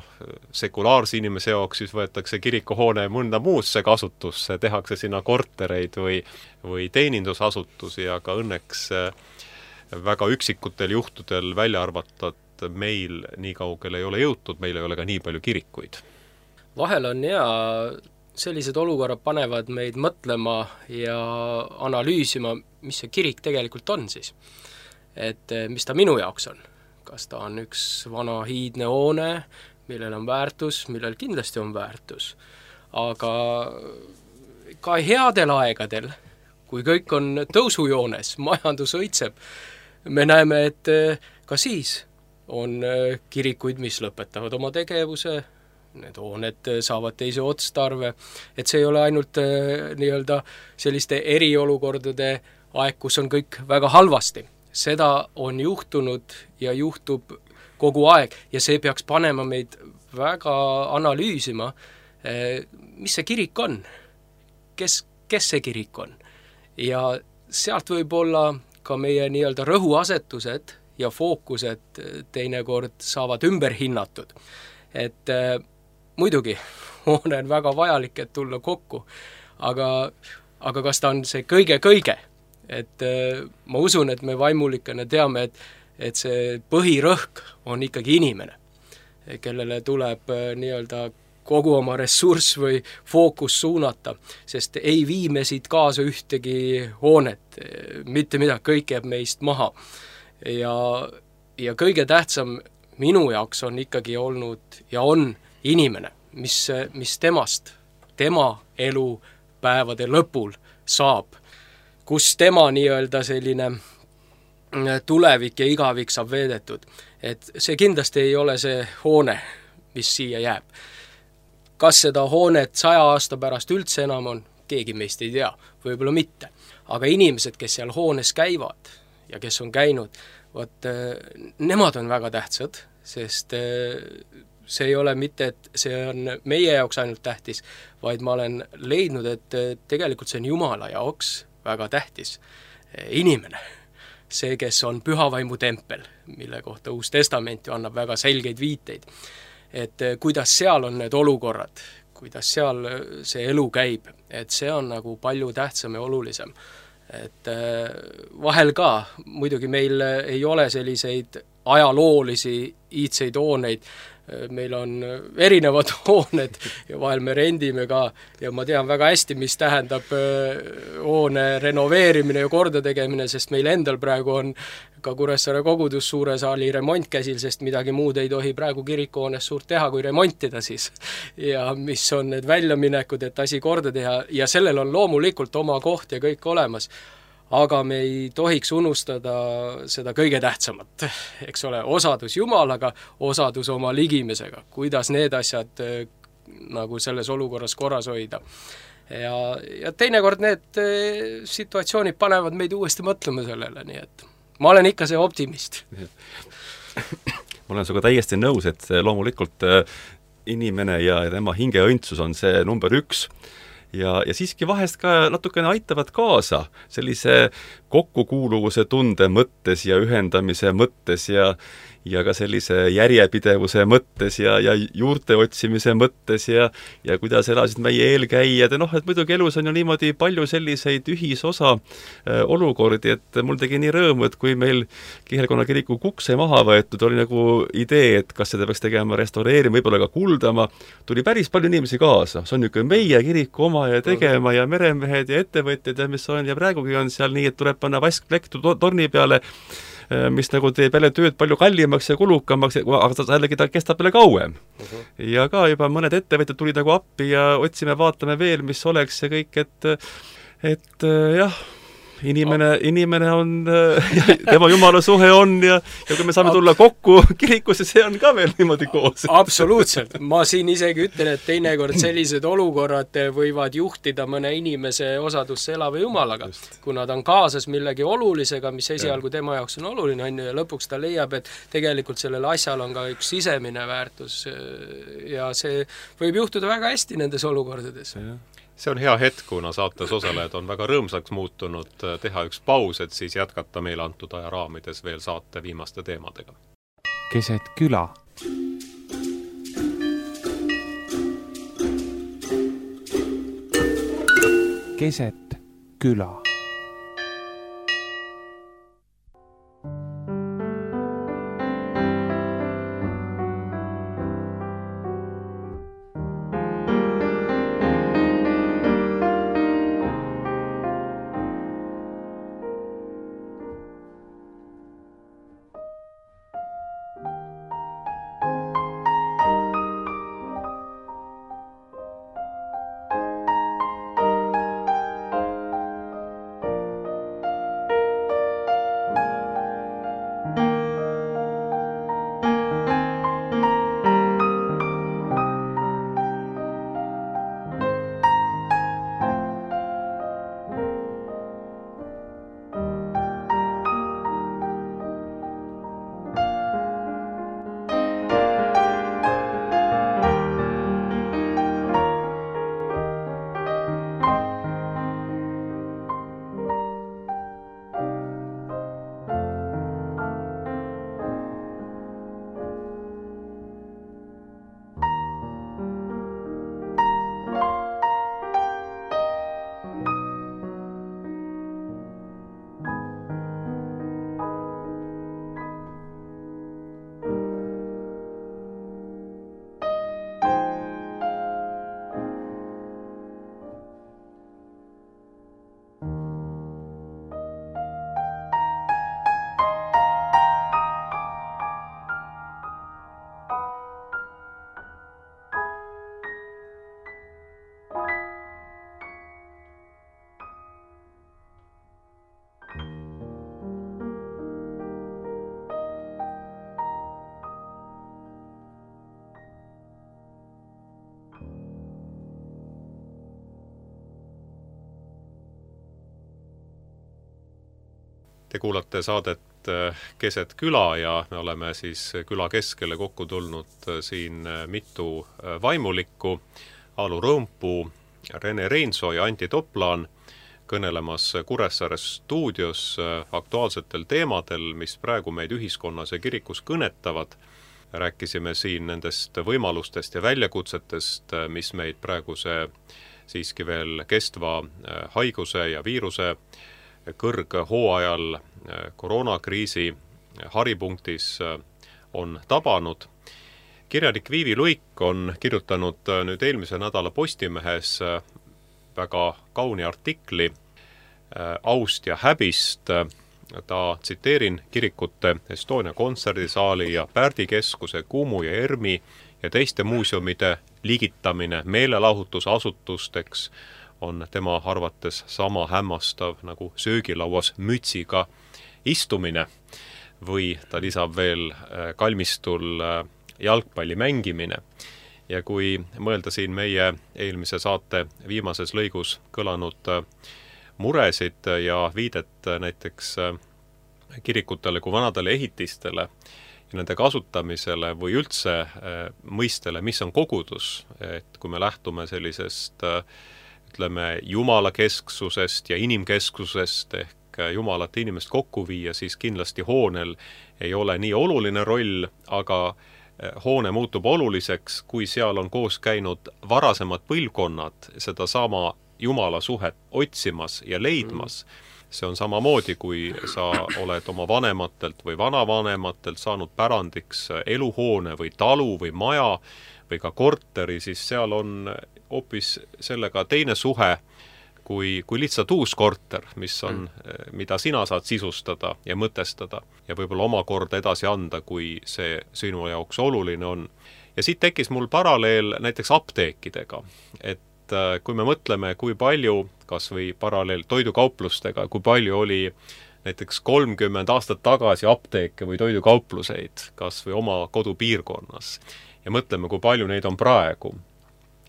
sekulaarse inimese jaoks siis võetakse kirikuhoone mõnda muusse kasutusse, tehakse sinna kortereid või teenindusasutusi, aga õnneks väga üksikutel juhtudel välja arvata, et meil nii kaugele ei ole jõutud, meil ei ole ka nii palju kirikuid. Vahel on sellised olukorrad panevad meid mõtlema ja analüüsima, mis see kirik tegelikult on siis. Et mis ta minu jaoks on. Kas ta on üks vana hiidne hoone, millel on väärtus, millel kindlasti on väärtus. Aga ka headel aegadel, kui kõik on tõusujoones, majandus õitseb, me näeme, et ka siis on kirikuid, mis lõpetavad oma tegevuse, need hooned saavad teise otstarve, et see ei ole ainult selliste eriolukordade aeg, kus on kõik väga halvasti. Seda on juhtunud ja juhtub kogu aeg ja see peaks panema meid väga analüüsima, mis see kirik on, kes see kirik on. Ja sealt võib olla ka meie rõhuasetused ja fookused teinekord saavad ümber hinnatud. Et muidugi, hoone on väga vajalik, et tulla kokku, aga kas ta on see kõige? Et ma usun, et me vaimulikena teame, et see põhirõhk on ikkagi inimene, kellele tuleb kogu oma ressurss või fookus suunata, sest ei vii me siit kaasa ühtegi hoonet, mitte midagi, kõik jääb meist maha. Ja kõige tähtsam minu jaoks on ikkagi olnud ja on inimene, mis temast, tema elupäevade lõpul saab, kus tema selline tulevik ja igavik saab veedetud. Et see kindlasti ei ole see hoone, mis siia jääb. Kas seda hoonet 100 aasta pärast üldse enam on, keegi meist ei tea, võib-olla mitte. Aga inimesed, kes seal hoones käivad ja kes on käinud, nemad on väga tähtsad, sest see ei ole mitte, et see on meie jaoks ainult tähtis, vaid ma olen leidnud, et tegelikult see on Jumala jaoks väga tähtis inimene. See, kes on pühavaimu tempel, mille kohta Uus Testament ju annab väga selgeid viiteid. Et kuidas seal on need olukorrad, kuidas seal see elu käib, et see on palju tähtsam ja olulisem. Et vahel ka, muidugi meil ei ole selliseid ajaloolisi iidseid hooneid, meil on erinevad hooned ja vahel me rendime ka ja ma tean väga hästi, mis tähendab hoone renoveerimine ja korda tegemine, sest meil endal praegu on ka Kuressaare kogudus suure saali remont käsil, sest midagi muud ei tohi praegu kirikuhoones suurt teha, kui remontida siis. Ja mis on need väljaminekud, et asi korda teha ja sellel on loomulikult oma koht ja kõik olemas. Aga me ei tohiks unustada seda kõige tähtsamat, eks ole, osadus Jumalaga, osadus oma ligimesega, kuidas need asjad selles olukorras korras hoida. Ja teinekord need situatsioonid panevad meid uuesti mõtlema sellele, nii et ma olen ikka see optimist. Ma olen sinuga täiesti nõus, et loomulikult inimene ja tema hingeõndsus on see number 1. Ja siiski vahest ka natukene aitavad kaasa sellise kokkukuuluvuse tunde mõttes ja ühendamise mõttes ja ka sellise järjepidevuse mõttes ja juurte otsimise mõttes ja kuidas elasid meie eelkäijad ja et muidugi elus on ju niimoodi palju selliseid ühisosa olukordi, et mul tegi nii rõõmu, et kui meil Kihelkonna kiriku kukse maha võetud, oli idee, et kas seda peaks tegema restaureerima, võib-olla ka kuldama, tuli päris palju inimesi kaasa, see on niisugune meie kiriku oma ja tegema ja meremehed ja ettevõtjad ja mis on ja praegugi on seal nii, et tuleb panna vaskplekk torni peale, mis teeb jälle tööd palju kallimaks ja kulukamaks, aga jällegi ta kestab jälle kauem. Ja ka juba mõned ettevõtjad tulid appi ja otsime, vaatame veel, mis oleks ja kõik, et jah, inimene on, tema Jumala suhe on ja kui me saame tulla kokku kirikusse, see on ka veel niimoodi koos. Absoluutselt. Ma siin isegi ütlen, et teinekord sellised olukorrad võivad juhtida mõne inimese osadusse elava Jumalaga, kuna ta on kaasas millegi olulisega, mis esialgu tema jaoks on oluline, ja lõpuks ta leiab, et tegelikult sellel asjal on ka üks sisemine väärtus ja see võib juhtuda väga hästi nendes olukordades. See on hea hetk, kuna saates osalejad on väga rõõmsaks muutunud, teha üks paus, et siis jätkata meile antud aja raamides veel saate viimaste teemadega. Keset küla. Keset küla. Te kuulate saadet Keset küla ja me oleme siis küla keskele kokku tulnud siin mitu vaimulikku, Alu Rõõmpuu, Rene Reinsoo ja Anti Toplaan kõnelemas Kuressaare stuudios aktuaalsetel teemadel, mis praegu meid ühiskonnas ja kirikus kõnetavad. Rääkisime siin nendest võimalustest ja väljakutsetest, mis meid praeguse siiski veel kestva haiguse ja viiruse kõrghooajal koroonakriisi haripunktis on tabanud. Kirjanik Viivi Luik on kirjutanud nüüd eelmise nädala Postimehes väga kauni artikli aust ja häbist. Ta tsiteerin kirikute Estonia kontserdisaali ja Pärdi keskuse Kumu ja Ermi ja teiste muuseumide ligitamine meelelahutusasutusteks on tema arvates sama hämmastav nagu söögilauas mütsiga istumine või ta lisab veel kalmistul jalgpalli mängimine. Ja kui mõelda siin meie eelmise saate viimases lõigus kõlanud muresid ja viidet näiteks kirikutele kui vanadele ehitistele ja nende kasutamisele või üldse mõistele, mis on kogudus, et kui me lähtume sellisest ütleme jumalakesksusest ja inimkesksusest ehk jumalat inimest kokku viia, siis kindlasti hoonel ei ole nii oluline roll, aga hoone muutub oluliseks, kui seal on koos käinud varasemad põlvkonnad seda sama jumala suhet otsimas ja leidmas. See on samamoodi, kui sa oled oma vanematelt või vanavanematelt saanud pärandiks eluhoone või talu või maja või ka korteri, siis seal on hoopis sellega teine suhe kui lihtsalt uus korter, mis on, mida sina saad sisustada ja mõtestada ja võib-olla omakorda edasi anda, kui see sinu jaoks oluline on. Ja siit tekkis mul paralleel näiteks apteekidega, et kui me mõtleme, kui palju, kas või paralleel toidukauplustega, kui palju oli näiteks 30 aastat tagasi apteeke või toidukaupluseid, kas või oma kodupiirkonnas ja mõtleme, kui palju neid on praegu.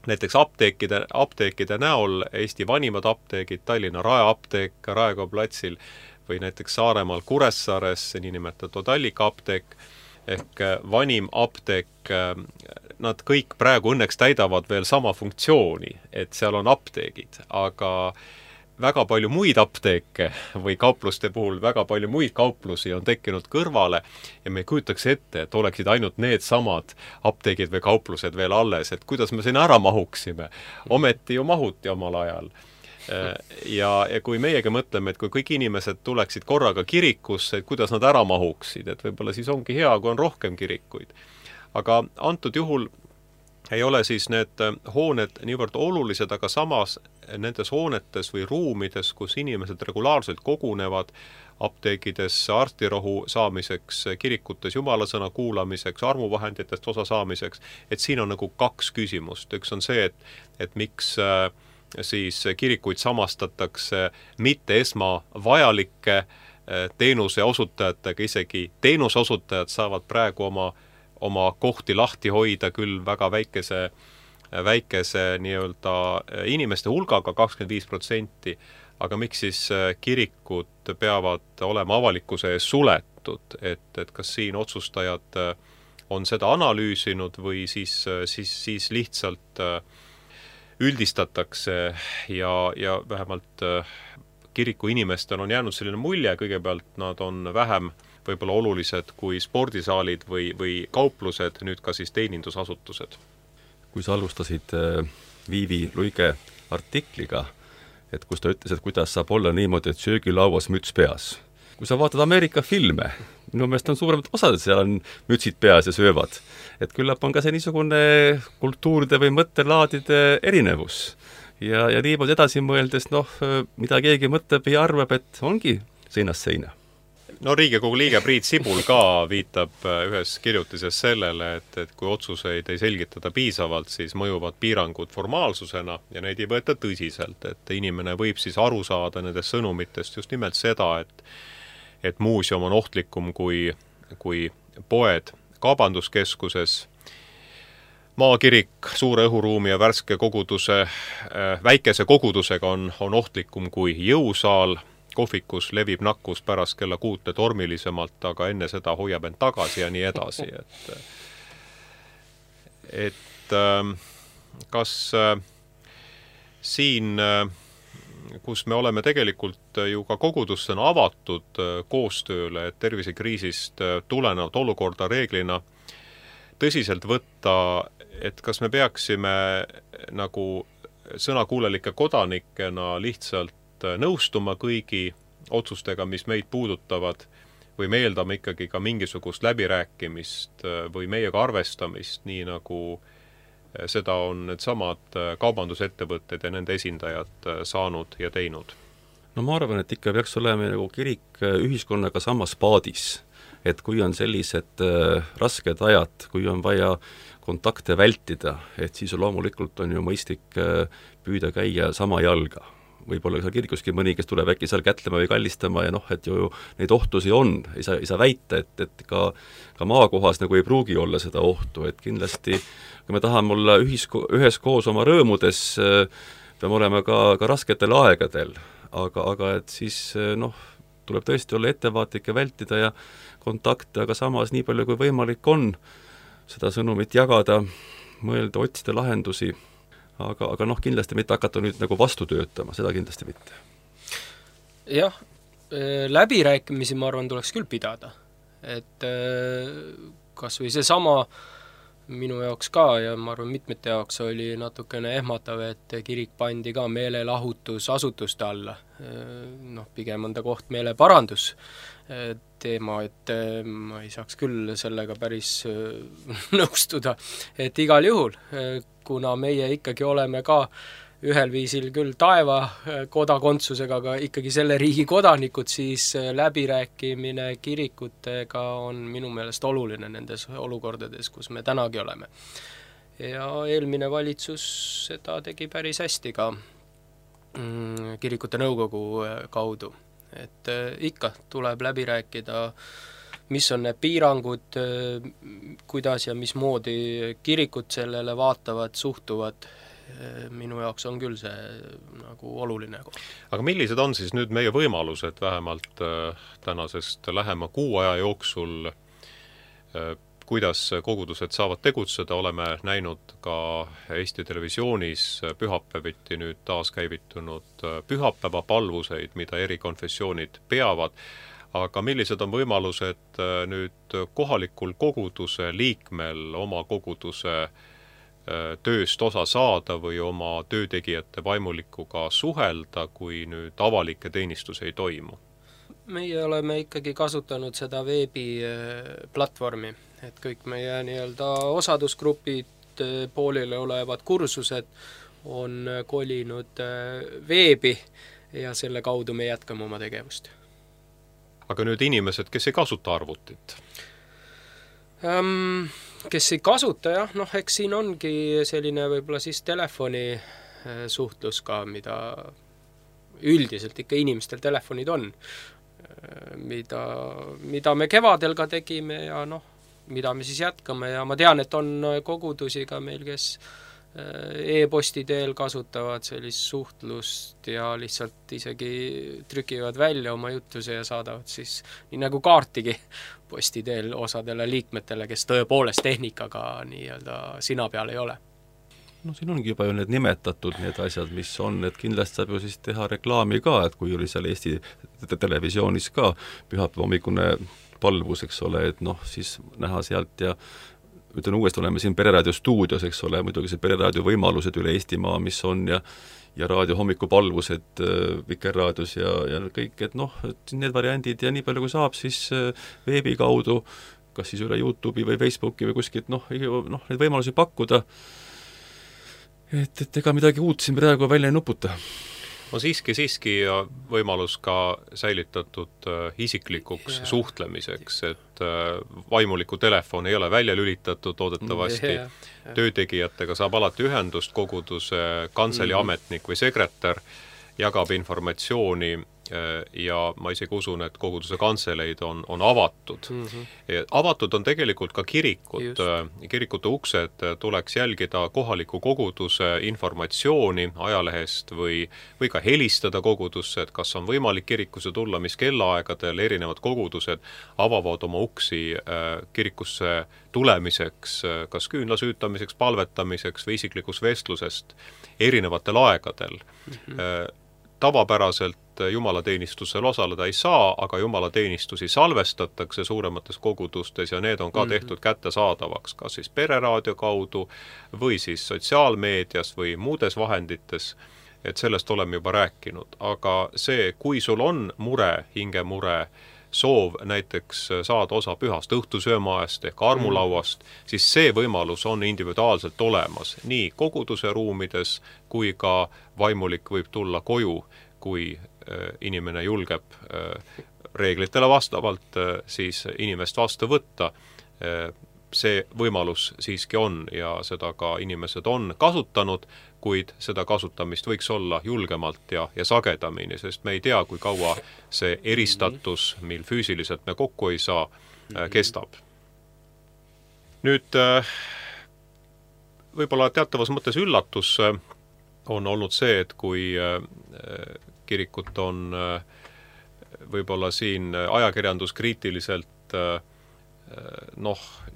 Näiteks apteekide näol Eesti vanimad apteegid, Tallinna Rae apteek Raekoja platsil või näiteks Saaremaal Kuressaares, niinimetatud Allika apteek ehk vanim apteek nad kõik praegu õnneks täidavad veel sama funktsiooni, et seal on apteegid, aga väga palju muid apteeke või kaupluste puhul väga palju muid kauplusi on tekkinud kõrvale ja me ei kujutaks ette, et oleksid ainult need samad apteegid või kauplused veel alles, et kuidas me sinna ära mahuksime. Ometi ju mahuti omal ajal. Ja kui meiegi mõtleme, et kui kõik inimesed tuleksid korraga kirikusse, et kuidas nad ära mahuksid, et võib-olla siis ongi hea, kui on rohkem kirikuid. Aga antud juhul ei ole siis need hooned niivõrd olulised, aga samas nendes hoonetes või ruumides, kus inimesed regulaarselt kogunevad, apteegides arstirohu saamiseks, kirikutes jumalasõna kuulamiseks, armuvahenditest osa saamiseks, et siin on nagu kaks küsimust. Üks on see, et miks siis kirikuid samastatakse mitte esmavajalike teenuse osutajatega, isegi teenuse osutajad saavad praegu oma kohti lahti hoida küll väga väikese nii-öelda inimeste hulgaga, 25%, aga miks siis kirikud peavad olema avalikkuse ees suletud, et kas siin otsustajad on seda analüüsinud või siis lihtsalt üldistatakse ja vähemalt kiriku inimestel on jäänud selline mulje, kõigepealt nad on vähem võib-olla olulised kui spordisaalid või kauplused, nüüd ka siis teenindusasutused. Kui sa alustasid Viivi Luige artikliga, et kus ta ütles, et kuidas saab olla niimoodi, et söögilauas müts peas. Kui sa vaatad Ameerika filme, minu meelest on suuremad osad, seal on mütsid peas ja söövad. Et küllap on ka see niisugune kultuuride või mõttelaadide erinevus. Ja niimoodi edasi mõeldes, mida keegi mõtleb ja arvab, et ongi seinast seina. No Riigikogu liige Priit Sibul ka viitab ühes kirjutises sellele, et kui otsuseid ei selgitada piisavalt, siis mõjuvad piirangud formaalsusena ja neid ei võeta tõsiselt, et inimene võib siis aru saada nendest sõnumitest just nimelt seda, et muuseum on ohtlikum kui poed kaubanduskeskuses, maakirik suure õhuruumi ja värske väikese kogudusega on ohtlikum kui jõusaal, kohvikus levib nakkus pärast kella 6 tormilisemalt, aga enne seda hoiab end tagasi ja nii edasi. Et kas siin, kus me oleme tegelikult ju ka kogudustena avatud koostööle, et tervisekriisist tulenevalt olukorda reeglina tõsiselt võtta, et kas me peaksime nagu sõnakuulelike kodanikena lihtsalt nõustuma kõigi otsustega, mis meid puudutavad, või me eeldame ikkagi ka mingisugust läbirääkimist või meiega arvestamist, nii nagu seda on need samad kaubandusettevõtted ja nende esindajad saanud ja teinud. No ma arvan, et ikka peaks olema nagu kirik ühiskonnaga samas paadis, et kui on sellised rasked ajad, kui on vaja kontakte vältida, et siis loomulikult on ju mõistlik püüda käia sama jalga. Võib-olla seal kirikuski mõni, kes tuleb äkki seal kätlema või kallistama ja et ju neid ohtusi on, ei saa väita, et ka maakohas nagu ei pruugi olla seda ohtu, et kindlasti kui me tahame olla üheskoos oma rõõmudes, peame olema ka rasketel aegadel, aga et siis tuleb tõesti olla ettevaatlik ja vältida ja kontakte, aga samas nii palju kui võimalik on seda sõnumit jagada, mõelda, otsida lahendusi, aga kindlasti mitte hakata nüüd nagu vastu töötama, seda kindlasti mitte. Jah, läbirääkimisi, ma arvan, tuleks küll pidada. Et kas või see sama minu jaoks ka ja ma arvan, mitmete jaoks oli natukene ehmatav, et kirik pandi ka meelelahutusasutuste alla. Pigem on ta koht meeleparandus teema, et ma ei saaks küll sellega päris nõustuda, et igal juhul, kuna meie ikkagi oleme ka ühel viisil küll taeva kodakondsusega, aga ikkagi selle riigi kodanikud, siis läbirääkimine kirikutega on minu meelest oluline nendes olukordades, kus me tänagi oleme. Ja eelmine valitsus seda tegi päris hästi ka kirikute nõukogu kaudu. Et ikka tuleb läbi rääkida, mis on need piirangud, kuidas ja mismoodi kirikud sellele vaatavad, suhtuvad. Minu jaoks on küll see nagu oluline. Aga millised on siis nüüd meie võimalused vähemalt tänasest lähema 6 aja jooksul kuidas kogudused saavad tegutseda, oleme näinud ka Eesti Televisioonis pühapäeviti nüüd taaskäivitunud pühapäevapalvuseid, mida eri konfessioonid peavad, aga millised on võimalused nüüd kohalikul koguduse liikmel oma koguduse tööst osa saada või oma töötegijate vaimulikuga suhelda, kui nüüd avalikke teenistusi ei toimu? Meie oleme ikkagi kasutanud seda veebiplatvormi, et kõik meie nii-öelda osadusgrupid, poolile olevad kursused on kolinud veebi ja selle kaudu me jätkame oma tegevust. Aga nüüd inimesed, kes ei kasuta arvutit? Kes ei kasuta, jah, eks siin ongi selline võib-olla siis telefoni suhtlus ka, mida üldiselt ikka inimestel telefonid on, mida me kevadel ka tegime ja mida me siis jätkame ja ma tean, et on kogudusi ka meil, kes e-posti teel kasutavad sellist suhtlust ja lihtsalt isegi trükivad välja oma juttuse ja saadavad siis nii nagu kaartigi posti teel osadele liikmetele, kes tõepoolest tehnikaga nii-öelda sina peal ei ole. Siin ongi juba ju need nimetatud need asjad, mis on, et kindlasti saab ju siis teha reklaami ka, et kui oli seal Eesti Televisioonis ka pühapäeva hommikune palvus, eks ole, et siis näha sealt ja ütlen uuesti, oleme siin Pereraadio stuudios, eks ole, muidugi see Pereraadio võimalused üle Eestimaa, mis on ja raadio hommikupalvused Vikerraadios ja kõik, et et need variandid ja nii palju kui saab, siis veebi kaudu, kas siis üle YouTube'i või Facebooki või kuskilt, neid võimalusi pakkuda, et ega midagi uut siin praegu välja ei nuputa. On siiski võimalus ka säilitatud isiklikuks suhtlemiseks, et vaimuliku telefon ei ole välja lülitatud, loodetavasti töötegijatega saab alati ühendust, koguduse kantselei ametnik või sekretär jagab informatsiooni ja ma isegi usun, et koguduse kantseleid on avatud. Avatud on tegelikult ka kirikud. Kirikute uksed tuleks jälgida kohaliku koguduse informatsiooni ajalehest või ka helistada kogudusse, et kas on võimalik kirikusse tulla, mis kellaaegadel erinevad kogudused avavad oma uksi kirikusse tulemiseks, kas küünla süütamiseks, palvetamiseks või isiklikus vestlusest erinevatel aegadel. Tavapäraselt jumalateenistusel osaleda ei saa, aga jumalateenistusi salvestatakse suuremates kogudustes ja need on ka tehtud kättesaadavaks, kas siis Pereraadio kaudu või siis sotsiaalmeedias või muudes vahendites, et sellest oleme juba rääkinud. Aga see, kui sul on mure, hingemure, soov näiteks saada osa pühast õhtusöömaest ehk armulauast, siis see võimalus on individuaalselt olemas nii koguduse ruumides kui ka vaimulik võib tulla koju, kui inimene julgeb reeglitele vastavalt siis inimest vastu võtta. See võimalus siiski on ja seda ka inimesed on kasutanud, kuid seda kasutamist võiks olla julgemalt ja sagedamini, sest me ei tea, kui kaua see eristatus, mil füüsiliselt me kokku ei saa, kestab. Nüüd võib-olla teatavas mõttes üllatus on olnud see, et kui kirikut on võib-olla siin ajakirjanduskriitiliselt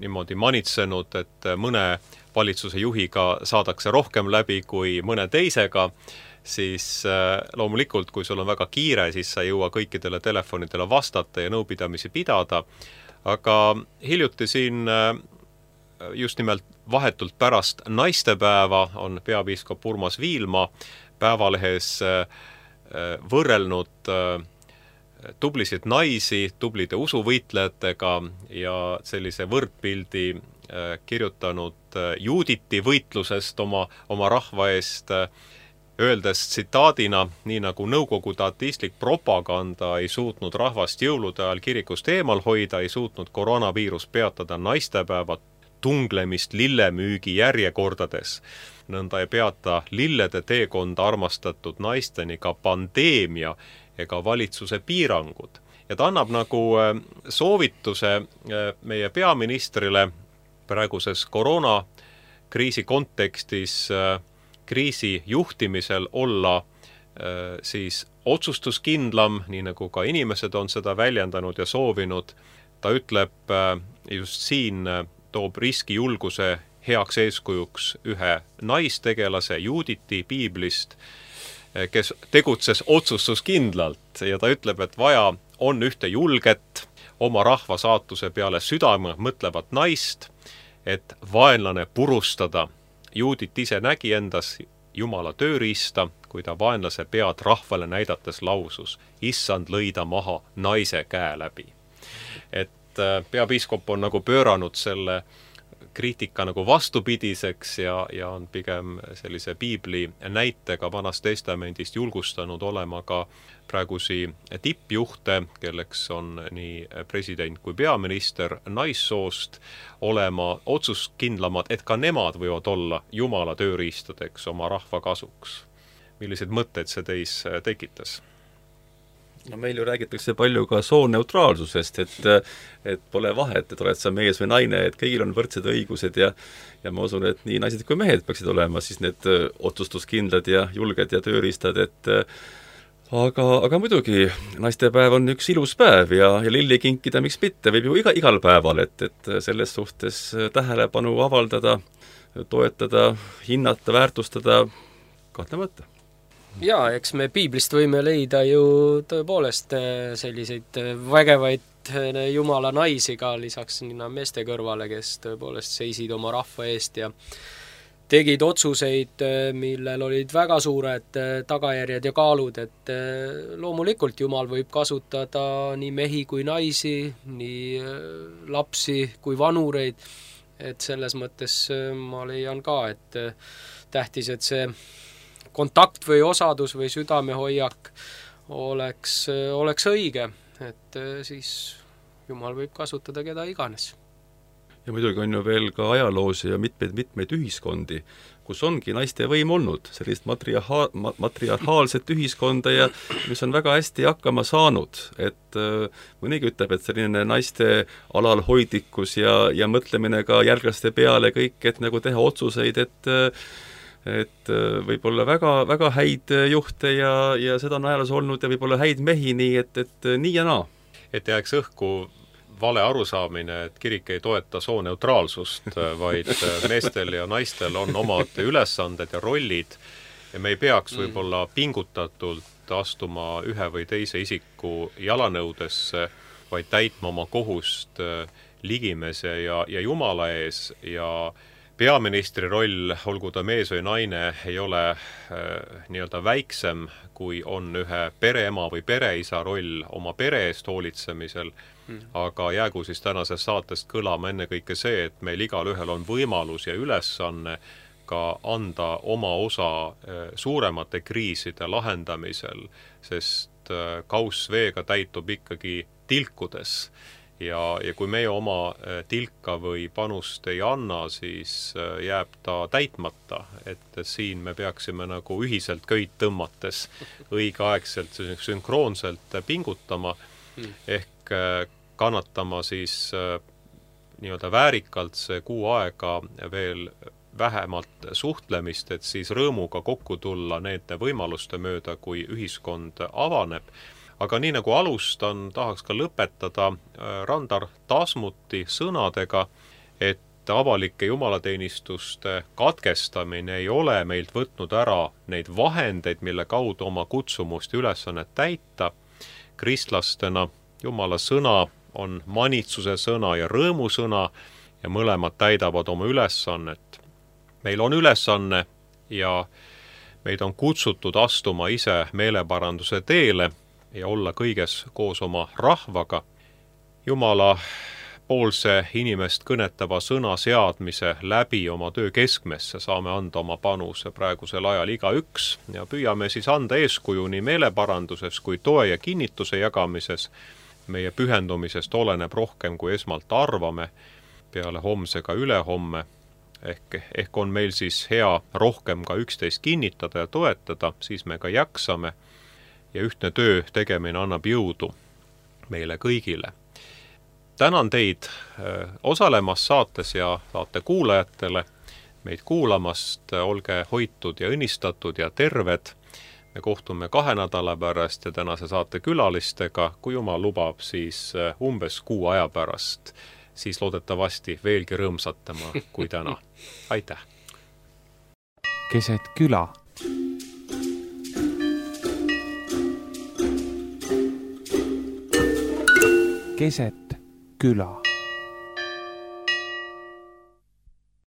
niimoodi manitsenud, et mõne valitsuse juhiga saadakse rohkem läbi kui mõne teisega, siis loomulikult, kui sul on väga kiire, siis sa ei jõua kõikidele telefonidele vastata ja nõupidamisi pidada. Aga hiljuti siin just nimelt vahetult pärast naistepäeva on peapiiskop Urmas Viilma Päevalehes võrrelnud tublisid naisi tublide usuvõitlejatega ja sellise võrdpildi kirjutanud Juuditi võitlusest oma rahva eest, öeldes tsitaadina, nii nagu nõukogude ateistlik propaganda ei suutnud rahvast jõulude ajal kirikust eemal hoida, ei suutnud koroonaviirus peatada naistepäeva tunglemist lillemüügi järjekordades. Nõnda ei peata lillede teekonda armastatud naisteni ka pandeemia ega valitsuse piirangud. Ja ta annab nagu soovituse meie peaministrile praeguses koroonakriisi kontekstis kriisi juhtimisel olla siis otsustuskindlam, nii nagu ka inimesed on seda väljendanud ja soovinud. Ta ütleb just siin toob riskijulguse heaks eeskujuks ühe naistegelase Juditi piiblist, kes tegutses otsustuskindlalt ja ta ütleb, et vaja on ühte julget, oma rahva saatuse peale südame mõtlevat naist, et vaenlane purustada. Judit ise nägi endas Jumala tööriista, kui ta vaenlase pead rahvale näidates lausus, issand lõida maha naise käe läbi. Et peapiiskop on nagu pööranud selle kriitika nagu vastupidiseks ja on pigem sellise piibli näitega Vanast Testamendist julgustanud olema ka praegusi tippjuhte, kelleks on nii president kui peaminister naissoost, olema otsuskindlamad, et ka nemad võivad olla Jumala tööriistadeks oma rahva kasuks. Millised mõtted see teis tekitas? No meil ju räägitakse palju ka sooneutraalsusest, et pole vahet, et oled sa mees või naine, et kõigil on võrdsed õigused ja ma usun, et nii naised kui mehed peaksid olema siis need otsustuskindlad ja julged ja tööriistad, et aga muidugi, naistepäev on üks ilus päev ja lilli kinkida, miks mitte, võib ju igal päeval, et selles suhtes tähelepanu avaldada, toetada, hinnata, väärtustada, kahtlemata. Jaa, eks me piiblist võime leida ju tõepoolest selliseid vägevaid Jumala naisi ka lisaks meeste kõrvale, kes tõepoolest seisid oma rahva eest ja tegid otsuseid, millel olid väga suured tagajärjed ja kaalud, et loomulikult Jumal võib kasutada nii mehi kui naisi, nii lapsi kui vanureid, et selles mõttes ma leian ka, et tähtis, et see kontakt või osadus või südamehoiak oleks õige, et siis Jumal võib kasutada keda iganes. Ja muidugi on ju veel ka ajaloos ja mitmeid ühiskondi, kus ongi naiste võim olnud, sellist matriarhaalset ühiskonda ja mis on väga hästi hakkama saanud, et mõnigi ütleb, et selline naiste alalhoidlikkus ja mõtlemine ka järglaste peale kõik, et nagu teha otsuseid, et võib-olla väga, väga häid juhte ja seda on ajaloos olnud ja võib-olla häid mehi, nii et nii ja naa. Et jääks õhku vale arusaamine, et kirik ei toeta sooneutraalsust, vaid meestel ja naistel on omad ülesanded ja rollid ja me ei peaks võib-olla pingutatult astuma ühe või teise isiku jalanõudesse, vaid täitma oma kohust ligimese ja Jumala ees ja peaministri roll, olgu ta mees või naine, ei ole nii-öelda väiksem, kui on ühe pereema või pereisa roll oma pere eest hoolitsemisel, aga jäägu siis tänasest saatest kõlama ennekõike see, et meil igal ühel on võimalus ja ülesanne ka anda oma osa suuremate kriiside lahendamisel, sest kauss veega täitub ikkagi tilkudes. Ja kui meie oma tilka või panust ei anna, siis jääb ta täitmata, et siin me peaksime nagu ühiselt köit tõmmates õigeaegselt sünkroonselt pingutama, ehk kannatama siis nii-öelda väärikalt see kuu aega veel vähemalt suhtlemist, et siis rõõmuga kokku tulla nende võimaluste mööda, kui ühiskond avaneb. Aga nii nagu alustan, tahaks ka lõpetada Randar Tasmuti sõnadega, et avalike jumalateenistuste katkestamine ei ole meilt võtnud ära neid vahendeid, mille kaudu oma kutsumust ja ülesannet täita. Kristlastena Jumala sõna on manitsuse sõna ja rõõmu sõna ja mõlemad täidavad oma ülesannet. Meil on ülesanne ja meid on kutsutud astuma ise meeleparanduse teele ja olla kõiges koos oma rahvaga. Jumala poolse inimest kõnetava sõna seadmise läbi oma töö keskmesse saame anda oma panuse praegusel ajal igaüks ja püüame siis anda eeskuju nii meeleparanduses kui toe ja kinnituse jagamises. Meie pühendumisest oleneb rohkem, kui esmalt arvame, peale homsega ülehomme. Ehk on meil siis hea rohkem ka üksteist kinnitada ja toetada, siis me ka jaksame. Ja ühtne töö tegemine annab jõudu meile kõigile. Tänan teid osalemas saates ja saate kuulajatele, meid kuulamast, olge hoitud ja õnnistatud ja terved. Me kohtume 2 nädala pärast ja tänase saate külalistega, kui Jumal lubab, siis umbes kuu aja pärast siis loodetavasti veelgi rõõmsatama kui täna. Aitäh! Keset küla. Keset küla.